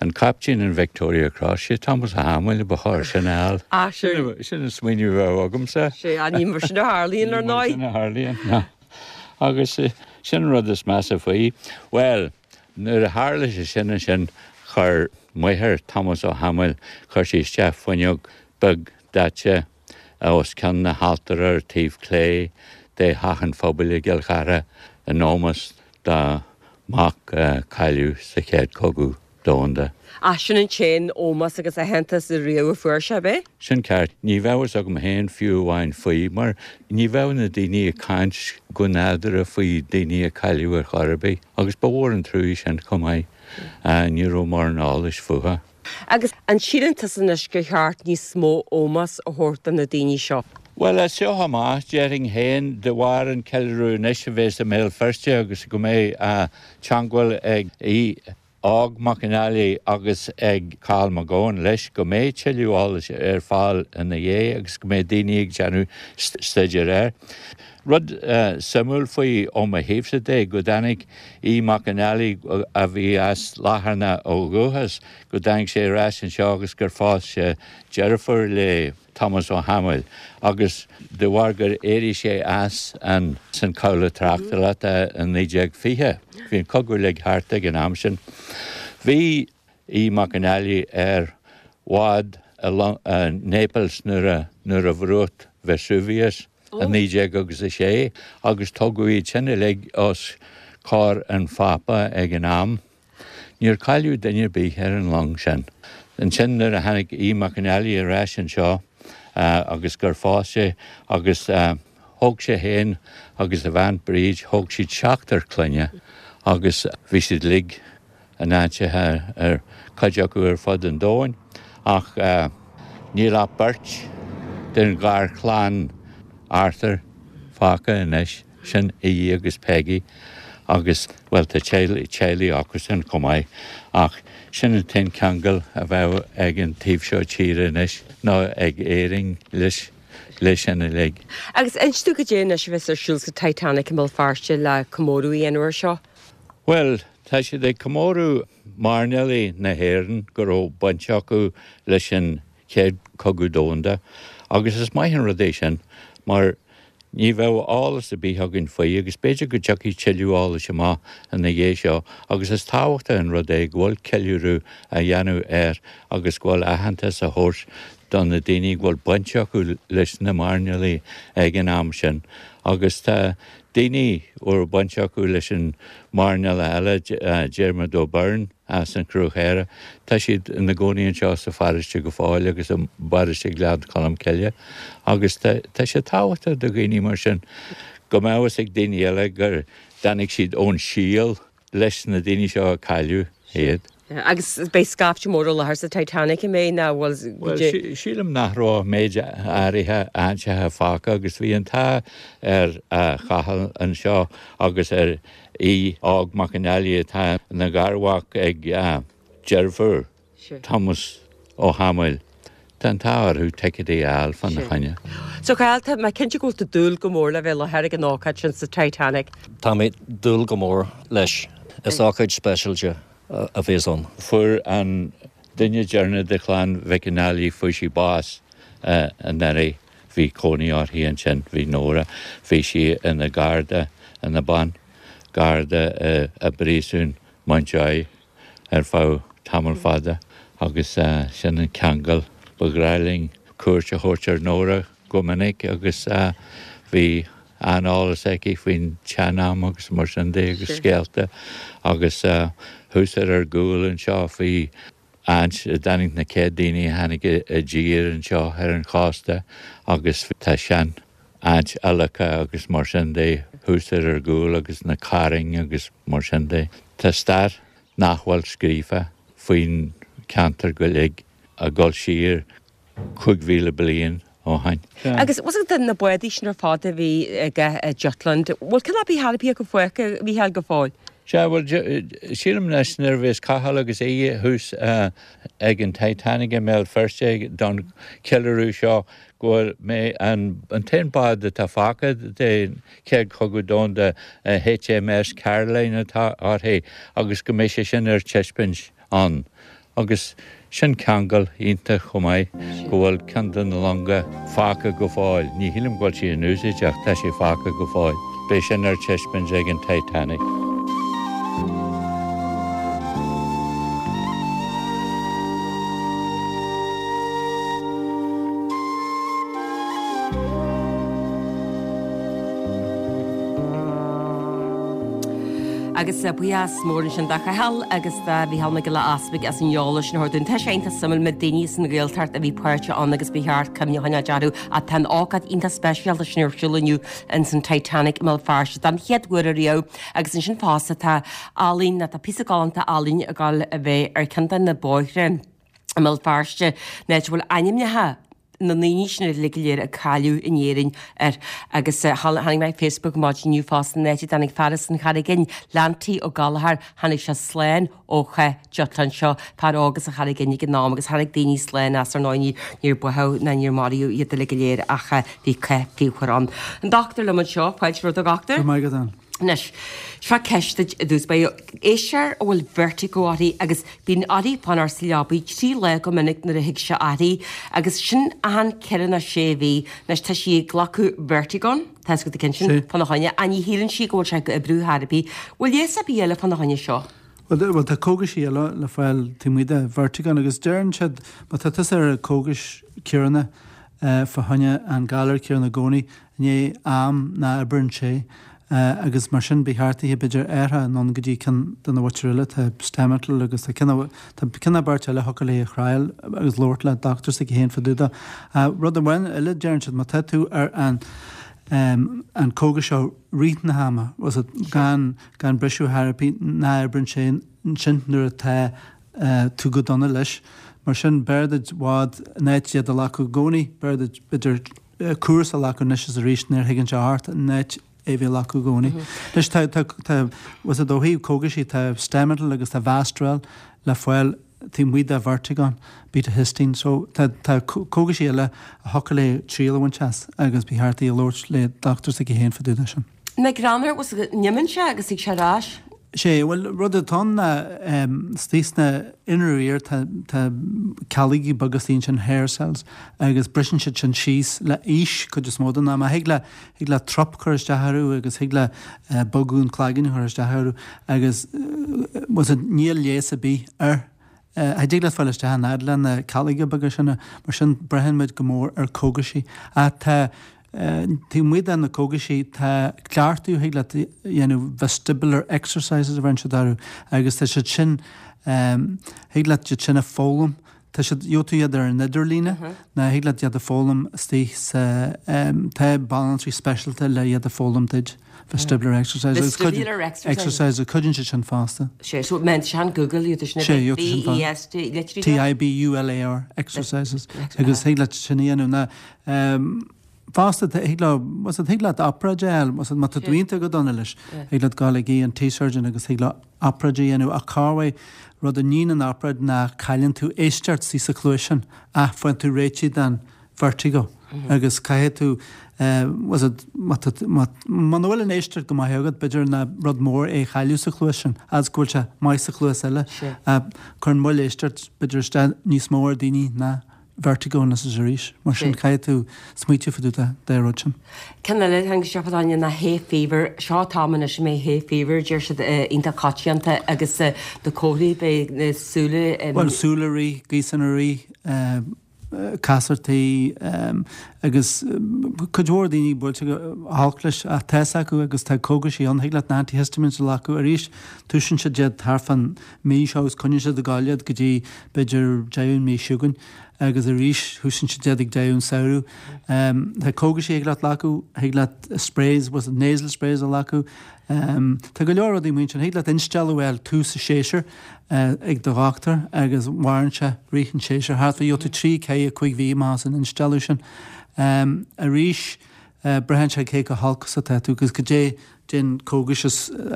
an caiptín an Victoria Cross, sé Tomás Ó hAdhmaill a ba chóir sin a fháil. Ah, sin. Sin an smaoineamh a bheadh agamsa. Sea, ní mar sin a tharlaíonn, ar ndóigh. Ní mar sin a tharlaíonn, ná. Agus sin an rud is measa faoi. Bhuel, nuair a tharla sé sin ansin, chuir máthair Thomas Ó hAdhmaill, chuir sí isteach fuinneog beag daite os cionn na haltóra ar taobh clé de Theach an Phobail i gCill Chartha in ómós dá mac a cailleadh sa Chéad Chogadh Domhanda. Ach sin an t-aon ómós agus aitheantas riamh a fuair sé, ab é? Sin ceart. Ní bheadh fhios agam féin fiú amháin faoi, mar ní bheadh na daoine ag caint go nádúrtha faoi daoine a cailleadh ar chor ar bith, agus ba mhór an truaí sin chomh maith. Ní raibh mórán eolais fúthu. Agus an síleann tusa anois gur cheart níos mó ómós a thabhairt do na daoine seo? Bhuel, as seo amach, déarfainn féin, de bharr an ceiliúradh anois a bheas i mBéal Feirste agus go mbeidh teangmháil ag Aodh Óg Mac an Fhailigh agus ag Cathal Mac Gabhann leis, go mbeidh tuilleadh eolais ar fáil ina dhiaidh agus go mbeidh daoine ag déanamh staidéir air. Rud suimiúil faoi ó mo thaobhsa de, go dtáinig Aodh Mac an Fhailigh, a bhí as Latharna ó dhúchas, go dtáinig sé ar ais anseo agus gur phós sé deirfiúr le Tomás Ó hAdhmaill agus de bharr gur éirigh sé as an san cabhlach tráchtála i naoi déag fiche, bhí an cogadh uilig thart ag an am sin, bhí Aodh Mac an Fhailigh ar bhád i Naples nuair a nuair a bhrúcht Vesuvius i naoi déag agus a sé agus tugadh iad sin uilig os comhair an Phápa ag an am. Níor cailleadh duine ar bith ar an long sin. Ansin nuair a tháinig Aodh Mac an Fhailigh ar ais anseo agus gur phós sé agus thóg sé féin agus a bhean Bríd, thóg siad seachtar clainne agus bhí siad uilig in áiteacha ar cuid acu ar fud an domhain ach níl ach beirt den gharchlann Arthur fágtha anois. Sin Aodh agus Peggy agus, bhuel, tá teaghlaigh acusan chomh maith ach sin an t-aon cheangal a bheadh ag an taobh seo tíre anois, nó ag Éirinn leis, leis sin uilig. Agus inis dúinn cad é anois a bheas ar siúl sa Titanic i mBéal Feirste le comóradh a dhéanamh air seo? Bhuel, tá siad ag comóradh mairnéalaigh na hÉireann go raibh baint acu leis an Chéad Chogadh Domhanda agus is maith an rud é sin mar Ní bheadh eolas ar bith againn faoi agus b'fhéidir go dtiocfaidh tuilleadh eolais amach ina dhiaidh seo agus is tábhachtach an rud é go bhfuil ceiliúradh á dhéanamh air agus go bhfuil aitheantas á thabhairt do na daoine go bhfuil baint acu leis na mairnéalaigh ag an am sin agus tá daoine a raibh baint acu leis an mairnéalach eile, Diarmuid O'Byrne. as an Chruach Chaorach. Tá siad ina gcónaí anseo sa pharóiste go fóill agus i bparóiste Ghleann Cholm Cille agus tá sé tábhachtach do dhaoine mar sin go mbeadh fhios ag daoine eile gur dtáinig siad ón síol leis na daoine seo a cailleadh iad. Agus beidh scaifte mór i láthair sa Titanic, an mbeidh, nó bhfuil Bhuel, sílim nach raibh ach méid áirithe áiteacha fágtha agus bhí an t-ádh ar Chathal anseo agus ar Aodh Óg Mac an Fhailigh atá ina gharmhac ag deirfiúr Thomas Ó hAdhmaill. Tá an t-ádh orthu ticéadaí a fháil fána choinne. So Cathal, tá mé cinnte go bhfuil tú ag dúil go mór le bheith i láthair ag an ócáid sin sa Titanic. Tá mé ag dúil go mór leis. Is ócáid speisialta a bheas ann. Fuair an duine deireanach de chlann Mhic an Fhailigh, fuair sí bás anuraidh. Bhí cónaí uirthi ansin, bhí Nóra, bhí sí ina garda, ina bean garda i bpríosún Mountjoy ar feadh tamall fada agus sin an ceangal. Ba ghnách linn cuairt a thabhairt ar Nóra go minic agus bhí an-eolas aici faoin tsean-am agus mar sin de agus scéalta agus thuas ar ár gcúl anseo bhí áit a dtáinig na céad daoine a tháinig i dtír anseo ar an chósta agus tá sean áit adhlactha agus mar sin de thuas ar ár gcúl agus na cairn agus mar sin de. Tá stair nach bhfuil scríofa faoin cheantar go uilig ag dul siar cúig mhíle bliain ó shin. Agus bhfuil fhios agat na bádaí sin ar fad a bhí aige i Jutland, bhfuil ceann ar bith ar bith acu fágtha, a Mhícheáil, go fóill? Sea, bhuel, sílim anois nuair a bheas Cathal agus Aodh thuas ag an Titanic i mBéal Feirste don cheiliúradh seo go bhfuil mé an t-aon bád atá fágtha den Chéad Chogadh Domhanda, HMS Caroline atá uirthi agus go mbeidh sé sin ar taispeáint ann. Agus sin ceangal iontach chomh maith, go bhfuil ceann de na longa fágtha go fóill. Ní shílim go bhfuil sí in úsáid ach tá sé fágtha go fóill. Beidh sin ar taispeáint ag an Titanic. Agus buíochas mór ansin do Chathal agus do Mhícheál Mac Giolla Easpaig as an eolas sin a thabhairt dúinn. Tá sé iontach suimiúil na daoine san Ghaeltacht a bhí páirteach ann agus ba cheart cuimhne a choinneáil orthu ach tá an ócáid iontach speisialta sin ar siúl inniu ins an Titanic i mBéal Feirste don chéad uair ariamh agus ansin fosta tá ealaín nó tá píosa galánta ealaíne ag dul a bheith ar ceann de na bóithre i mBéal Feirste, an áit a bhfuil ainmneacha na ndaoine sin uilig go léir a cailleadh in Éirinn air agus tháinig mé ar Facebook maidin inniu fosta an áit a dtáinig fear as an Charraig Fhinn, Leantaí Ó Gallchóir, tháinig sé slán ó chath diotláin seo, fear óg as an Charraig Fhinn ag an am agus tháinig daoine slán as ar ndóigh níor báthadh ná níor maraíodh iad uilig go léir ach bhí cath fíochmhar ann. An dochtúir liom anseo, fáilte romhat a dhochtúir. Go raibh maith agat Ann. Anois, seo ceist duit i dtús báire. Éisteoir a bhfuil vertigo uirthi agus bíonn uirthi fanacht sa leabaidh trí lá go minic nuair a thig sé uirthi agus sin achan ceithre nó sé mhí. Anois tá sí ag glacadh Vertigon, tá a fhios agat an ceann sin, fána choinne, ach ní shíleann sí go bhfuil sé ag oibriú chor ar bith. Bhfuil leigheas ar bith eile fána choinne seo? Bhuel, tá cógaisí eile le fáil taobh amuigh de Vertigon agus deireann siad má tá tusa ar cógais céanna fá choinne an galar céanna i gcónaí, i ndiaidh am ná oibreann sé agus mar sin ba cheart duit b'fhéidir athrú anonn go dtí ceann de na mhuintir eile, tá Stemetil agus tá ceann tá ceann nó beirt eile thiocfadh léi a thriail agus labhairt le dochtúir s'aici féin fá dtaobh de. Rud amháin eile deireann siad má tá tú ar an an cógas seo rith na hama, was it gan gan briseadh ar bith ná oibreann sé ansin nuair atá tú go dona leis. Mar sin b'fhearr duit i bhfad in áit iad a ghlacadh i gcónaí, b'fhearr duit b'fhéidir cúrsa a ghlacadh anois is arís nuair a thigeann sé ort in áit é bheith á ghlacadh i gcónaí. Anois tá, tá, tá, was it ó thaobh cógaisí tá Stemetil agus tá Vastarel le fáil taobh amuigh de Vertigon, betahistine, so tá, tá cógaisí eile a thiocfadh léi triail a bhaint as agus ba cheart di labhairt le dochtúir s'aici féin fá dtaobh de sin. Na greannair, was it go n-imíonn sé agus tig sé ar ais? Sé, bhuel, rud atá ann ná istigh sna inner ear tá, tá ceallógaí beaga istigh ansin, hair cells, agus briseann siad sin síos le aois cuid is mó den am. Thig le, thig le trup cur isteach orthu agus thig le bogadh an cloigeann a chur isteach orthu agus was it níl leigheas ar bith air. Cha dtig leat fáil isteach an fhad le na ceallóga beaga sin, mar sin braitheann muid go mór ar cógaisí. Ach tá Taobh amuigh de na cógaisí, tá cleachtadh a thig leat a dhéanamh, vestibular exercises a bheireann siad orthu, agus tá siad sin, thig leat iad sin a foghlaim, tá siad, gheobhaidh tú iad ar an idirlíne, nó thig leat iad a foghlaim istigh sa, tá banaltraí speisialta le iad a foghlaim duit, vestibular exercises. Vestibular exercises. Exercises, cuidíonn siad sin fosta. Sé, so meant sin Google iad sin Sé, gheobhaidh tú sin fosta. V E S T, literally. T I B U L A R, exercises, agus thig leat sin a dhéanamh, ná, Fosta, thig leo, was it, thig leat obráid a fháil, was it, má tá tú iontach go dona leis, thig leat gabháil ag ENT surgeon agus thig leo obráid a dhéanamh ach corruair rud a níonn an obráid ná cailleann tú éisteacht istigh sa chluais sin ach faigheann tú réitigh den vertigo agus caithfidh tú was it, má tá, má, muna bhfuil an éisteacht go maith agat b'fhéidir ná rud mór é a chailleadh sa chluais sin fhad is go bhfuil sé maith sa chluas eile ach cuireann moill éisteacht b'fhéidir isteach níos mó ar daoine ná vertigo anois is arís. Mar sin caithfidh tú smaoitiú fá dtaobh den rud sin. Ceann eile a tháinig isteach fá choinne ná hay fever. Seo an t-am anois a mbeidh hay fever, deir siad, iontach coitianta agus na comharthaí, beidh na súile. Bhuel, súile ag rith, gaosanna ag rith, casartaí agus cuid mhór daoine buailte go holc leis ach tá's acu agus tá cógaisí ann, thig leat na antihistamines a ghlacadh arís, tosaíonn siad iad thart fán mí seo agus coinníonn siad ag gabháil iad go dtí b'fhéidir deireadh an mhí seo chugainn agus arís thosaíonn siad iad ag deireadh an samhradh. Tá cógaisí a thig leat glacadh, thig leat sprays, was it nasal sprays a ghlacadh. Tá go leor rudaí mar sin, thig leat instealladh a fháil tús an séasúir ag do dhochtúir agus maireann sé rith an tséasúir thart fá gheobhaidh tú trí, ceathair, cúig mhí amach as an instealladh sin. Arís braitheann sé cé chomh holc is atá tú agus goidé cén cógais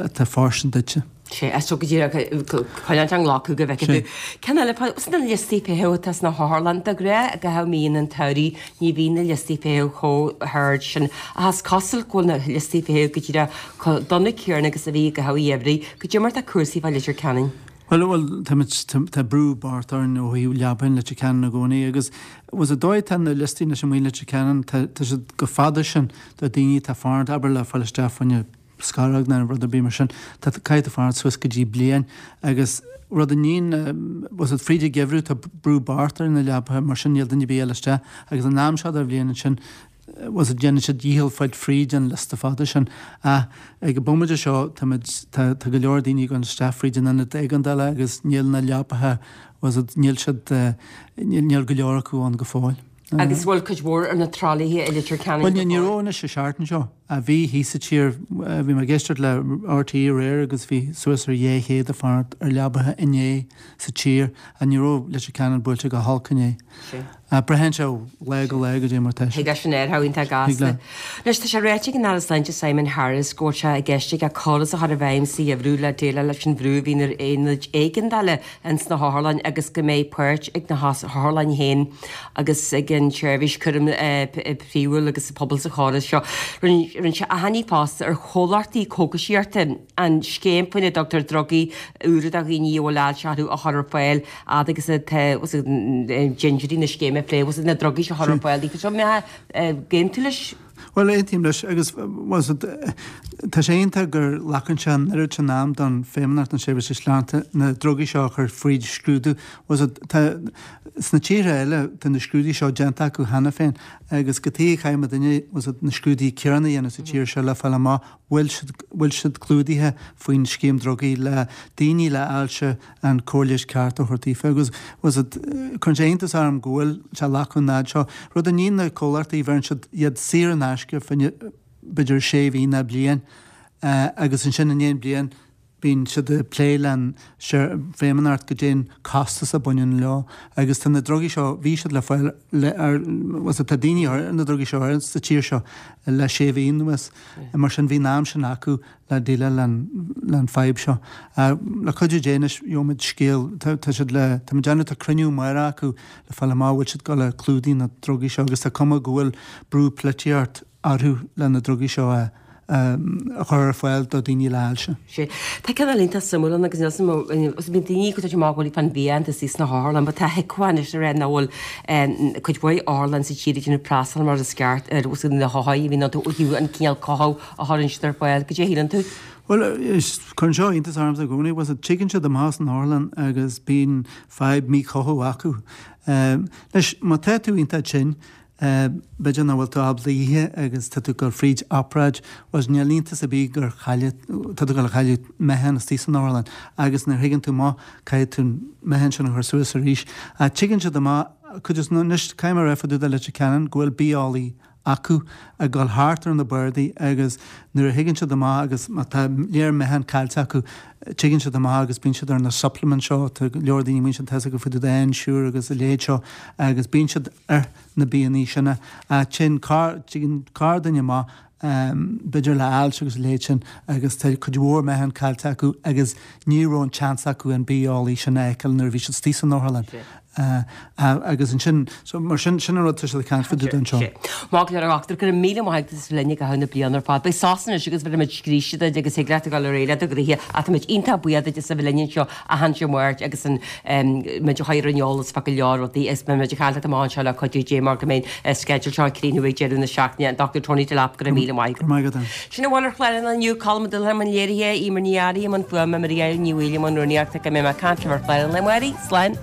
atá fóirstean duitse. Sé, is go díreach coinneáil á nglacadh go bhfeicfidh tú. Ceann eile, sna liostaí feithimh atá sna hotharlanna de ghnáth i gcaitheamh míonna an tsamhraidh, ní bhíonn na liostaí feithimh chomh hard sin ach is cosúil go bhfuil na liostaí feithimh go díreach chomh dona céanna agus a bhí i gcaitheamh an gheimhridh. Goidé mar atá cúrsaí fá Leitir Ceanainn. Bhuel, bhuel, táimid, tá brú bocht orainn ó thaobh leapacha i Leitir Ceanainn i gcónaí agus was an dóigh atá na liostaí anois amuigh i Leitir Ceanainn, tá, tá siad chomh fada sin do daoine atá ag fanacht, abair le fáil isteach fá choinne scaróg nó rud ar bith mar sin, tá, caithfidh tú fanacht suas go dtí bliain agus rud a níonn, was it fríd an geimhreadh tá brú bocht ar na leapacha mar sin níl duine ar bith ag dul isteach agus an am seo den bhliain ansin was it déanann siad dícheall fáil fríd an liosta fada sin. Ach ag an bomaite seo táimid, tá, tá go leor daoine ag dul isteach fríd an ionad éigeandála agus níl na leapacha, was it, níl siad, níl go leor acu ann go fóill. Agus bhfuil cuid mhór ar na tralaithe i Leitir Ceanainn Bhuel, ní raibh anois an seachtain seo. Bhí thíos sa tír, bhí mé ag éisteacht le RTÉ aréir agus bhí suas ar dhé chéad ag fanacht ar leapacha inné sa tír ach ní raibh Leitir Ceanainn buailte go holc inné. Braitheann sé ó lá go lá goidé mar tá sé. Thig leis an aer iontach gasta. Anois tá sé ráite ag an Aire Sláinte Simon Harris go bhfuil sé i gceist aige córas a chur i bhfeidhm sa gheimhreadh le déileáil leis an bhrú a bhíonn ar aonaid éigeandála ins na hotharlann agus go mbeidh páirt ag na hotharlann féin agus ag an tseirbhís cúraim phríomhúil agus an pobal sa chóras seo. Rinne sé achainí fosta ar chomhlachtaí cógaisíochta an scéim faoina dtugtar drugaí úra do dhaoine a bhfuil ailse orthu a chur ar fáil fhad agus atá déantóirí na scéime ag plé leis na drugaí seo a chur ar fáil daofa. Seo mé aontú leis? Bhuel, aontaím leis agus was it, tá sé iontach gur ghlacann sé an oiread sin am don Feidhmeannacht na Seirbhíse Sláinte na drugaí seo a chur fríd scrúdú. Was it, tá, sna tíortha eile tá na scrúduithe seo déanta acu cheana féin agus cad chuige a chaithfidh muidinne was it, na scrúduithe céanna a dhéanamh sa tír seo le fáil amach bhfuil siad, bhfuil siad clúdaithe faoin scéim drugaí le daoine le ailse an cóir leighis ceart a thabhairt daofa agus was it, cuireann sé iontas orm go bhfuil sé ag glacadh an fhad seo. Rud a níonn na comhlachtaí bheireann siad iad saor in aisce fá choinne b'fhéidir sé mhí ná bliain agus ansin i ndiaidh bliain bíonn siad ag plé le Feidhmeannacht goidé'n costas a bhaineann leo agus tá na drugaí seo, bhí siad le fáil le ar, was it, tá daoine ar na drugaí seo ar sa tír seo le sé mhí anuas mar sin bhí an am sin acu le déileáil le an fadhb seo. Le cuidiú Dé anois gheobhaimid scéal, tá tá siad le, tá mé ag déanamh tá cruinniú amárach acu le fáil amach bhfuil siad ag dul a clúdaigh na drugaí seo agus tá cuma go bhfuil brú polaitíocht orthu le na drugaí seo a a chur ar fáil do daoine le hailse. Sea. Tá cineál iontach suimiúil ann agus níl 's agam, bíonn daoine ag tabhairt amach go bhfuil fán bhia iontas sna hotharlann, but tá thiocfadh anois a rá nach bhfuil cuid mhaith otharlann sa tír ag déanamh preastal mar is ceart ar na hothair a bhíonn iontu ó thaobh an cineál cothú a chuireann siad ar fáil. Cad é a shíleann tú? Bhuel, cuireann seo iontas ormsa i gcónaí, bhuel, tigeann siad amach as an otharlann agus bíonn fadhb míchothú acu. Anois, má tá tú iontach tinn, B'fhéidir nach bhfuil tú ábalta ithe agus tá tú ag dul fríd obráid, bhuel níl iontas ar bith gur chailleadh, tá tú ag dul a chailleadh meáchan istigh san otharlann agus nuair a thigeann tú amach caithfidh tú an meáchan sin a chur suas arís. Ach tigeann siad amach, cuid is, anois caithfidh mé a rá fá dtaobh de Leitir Ceanainn go bhfuil bitheolaí acu ag dul thart ar na bardaí agus nuair a thigeann siad amach agus má tá léar meáchan caillte acu tigeann siad amach agus bíonn siad ar na supplements seo, tá go leor daoine a mbíonn siad tá a fhios acu fá dtaobh de Ensure agus a leithéid seo agus bíonn siad ar na bianna sin a téann corr, tigeann corrdhuine amach b'fhéidir le ailse agus a leithéid sin agus tá cuid mhór meáchan caillte acu agus ní raibh an tseans acu an bitheolaí sin a fheiceáil nuair a bhí siad istigh san otharlann. Agus ansin, so mar sin, sin an rud tá siad ag caint fá dtaobh de anseo. Maith go leor a dhochtúir, go raibh míle maith agat as a bheith linn i gcaitheamh na bliana ar fad. Beidh sos anois agus beidh muid scríste duit agus thig leat a dhul ar aghaidh le do ghnoithe ach tá muid iontach buíoch duit as a bheith linn anseo achan Dé Máirt agus an muid a chur ar an eolas fá go leor rudaí agus beidh muid ag caint leat amach anseo le cuidiú Dé mar go mbeidh an sceideal seo ag críochnú ag deireadh na seachtaine. An Dochtúir Tony Delap, go raibh míle maith agat. Go raibh maith agat. Sin a bhfuil ar chlár an lae inniu, Colm Ó Dúlcháin i mbun léirithe, Eimear Ní Fhearraigh i mbun fuaime, Maria Ní Mhaoil i mbun rúnaíochta, go mbeidh mé ag caint libh ar chlár an lae amárach. Slán.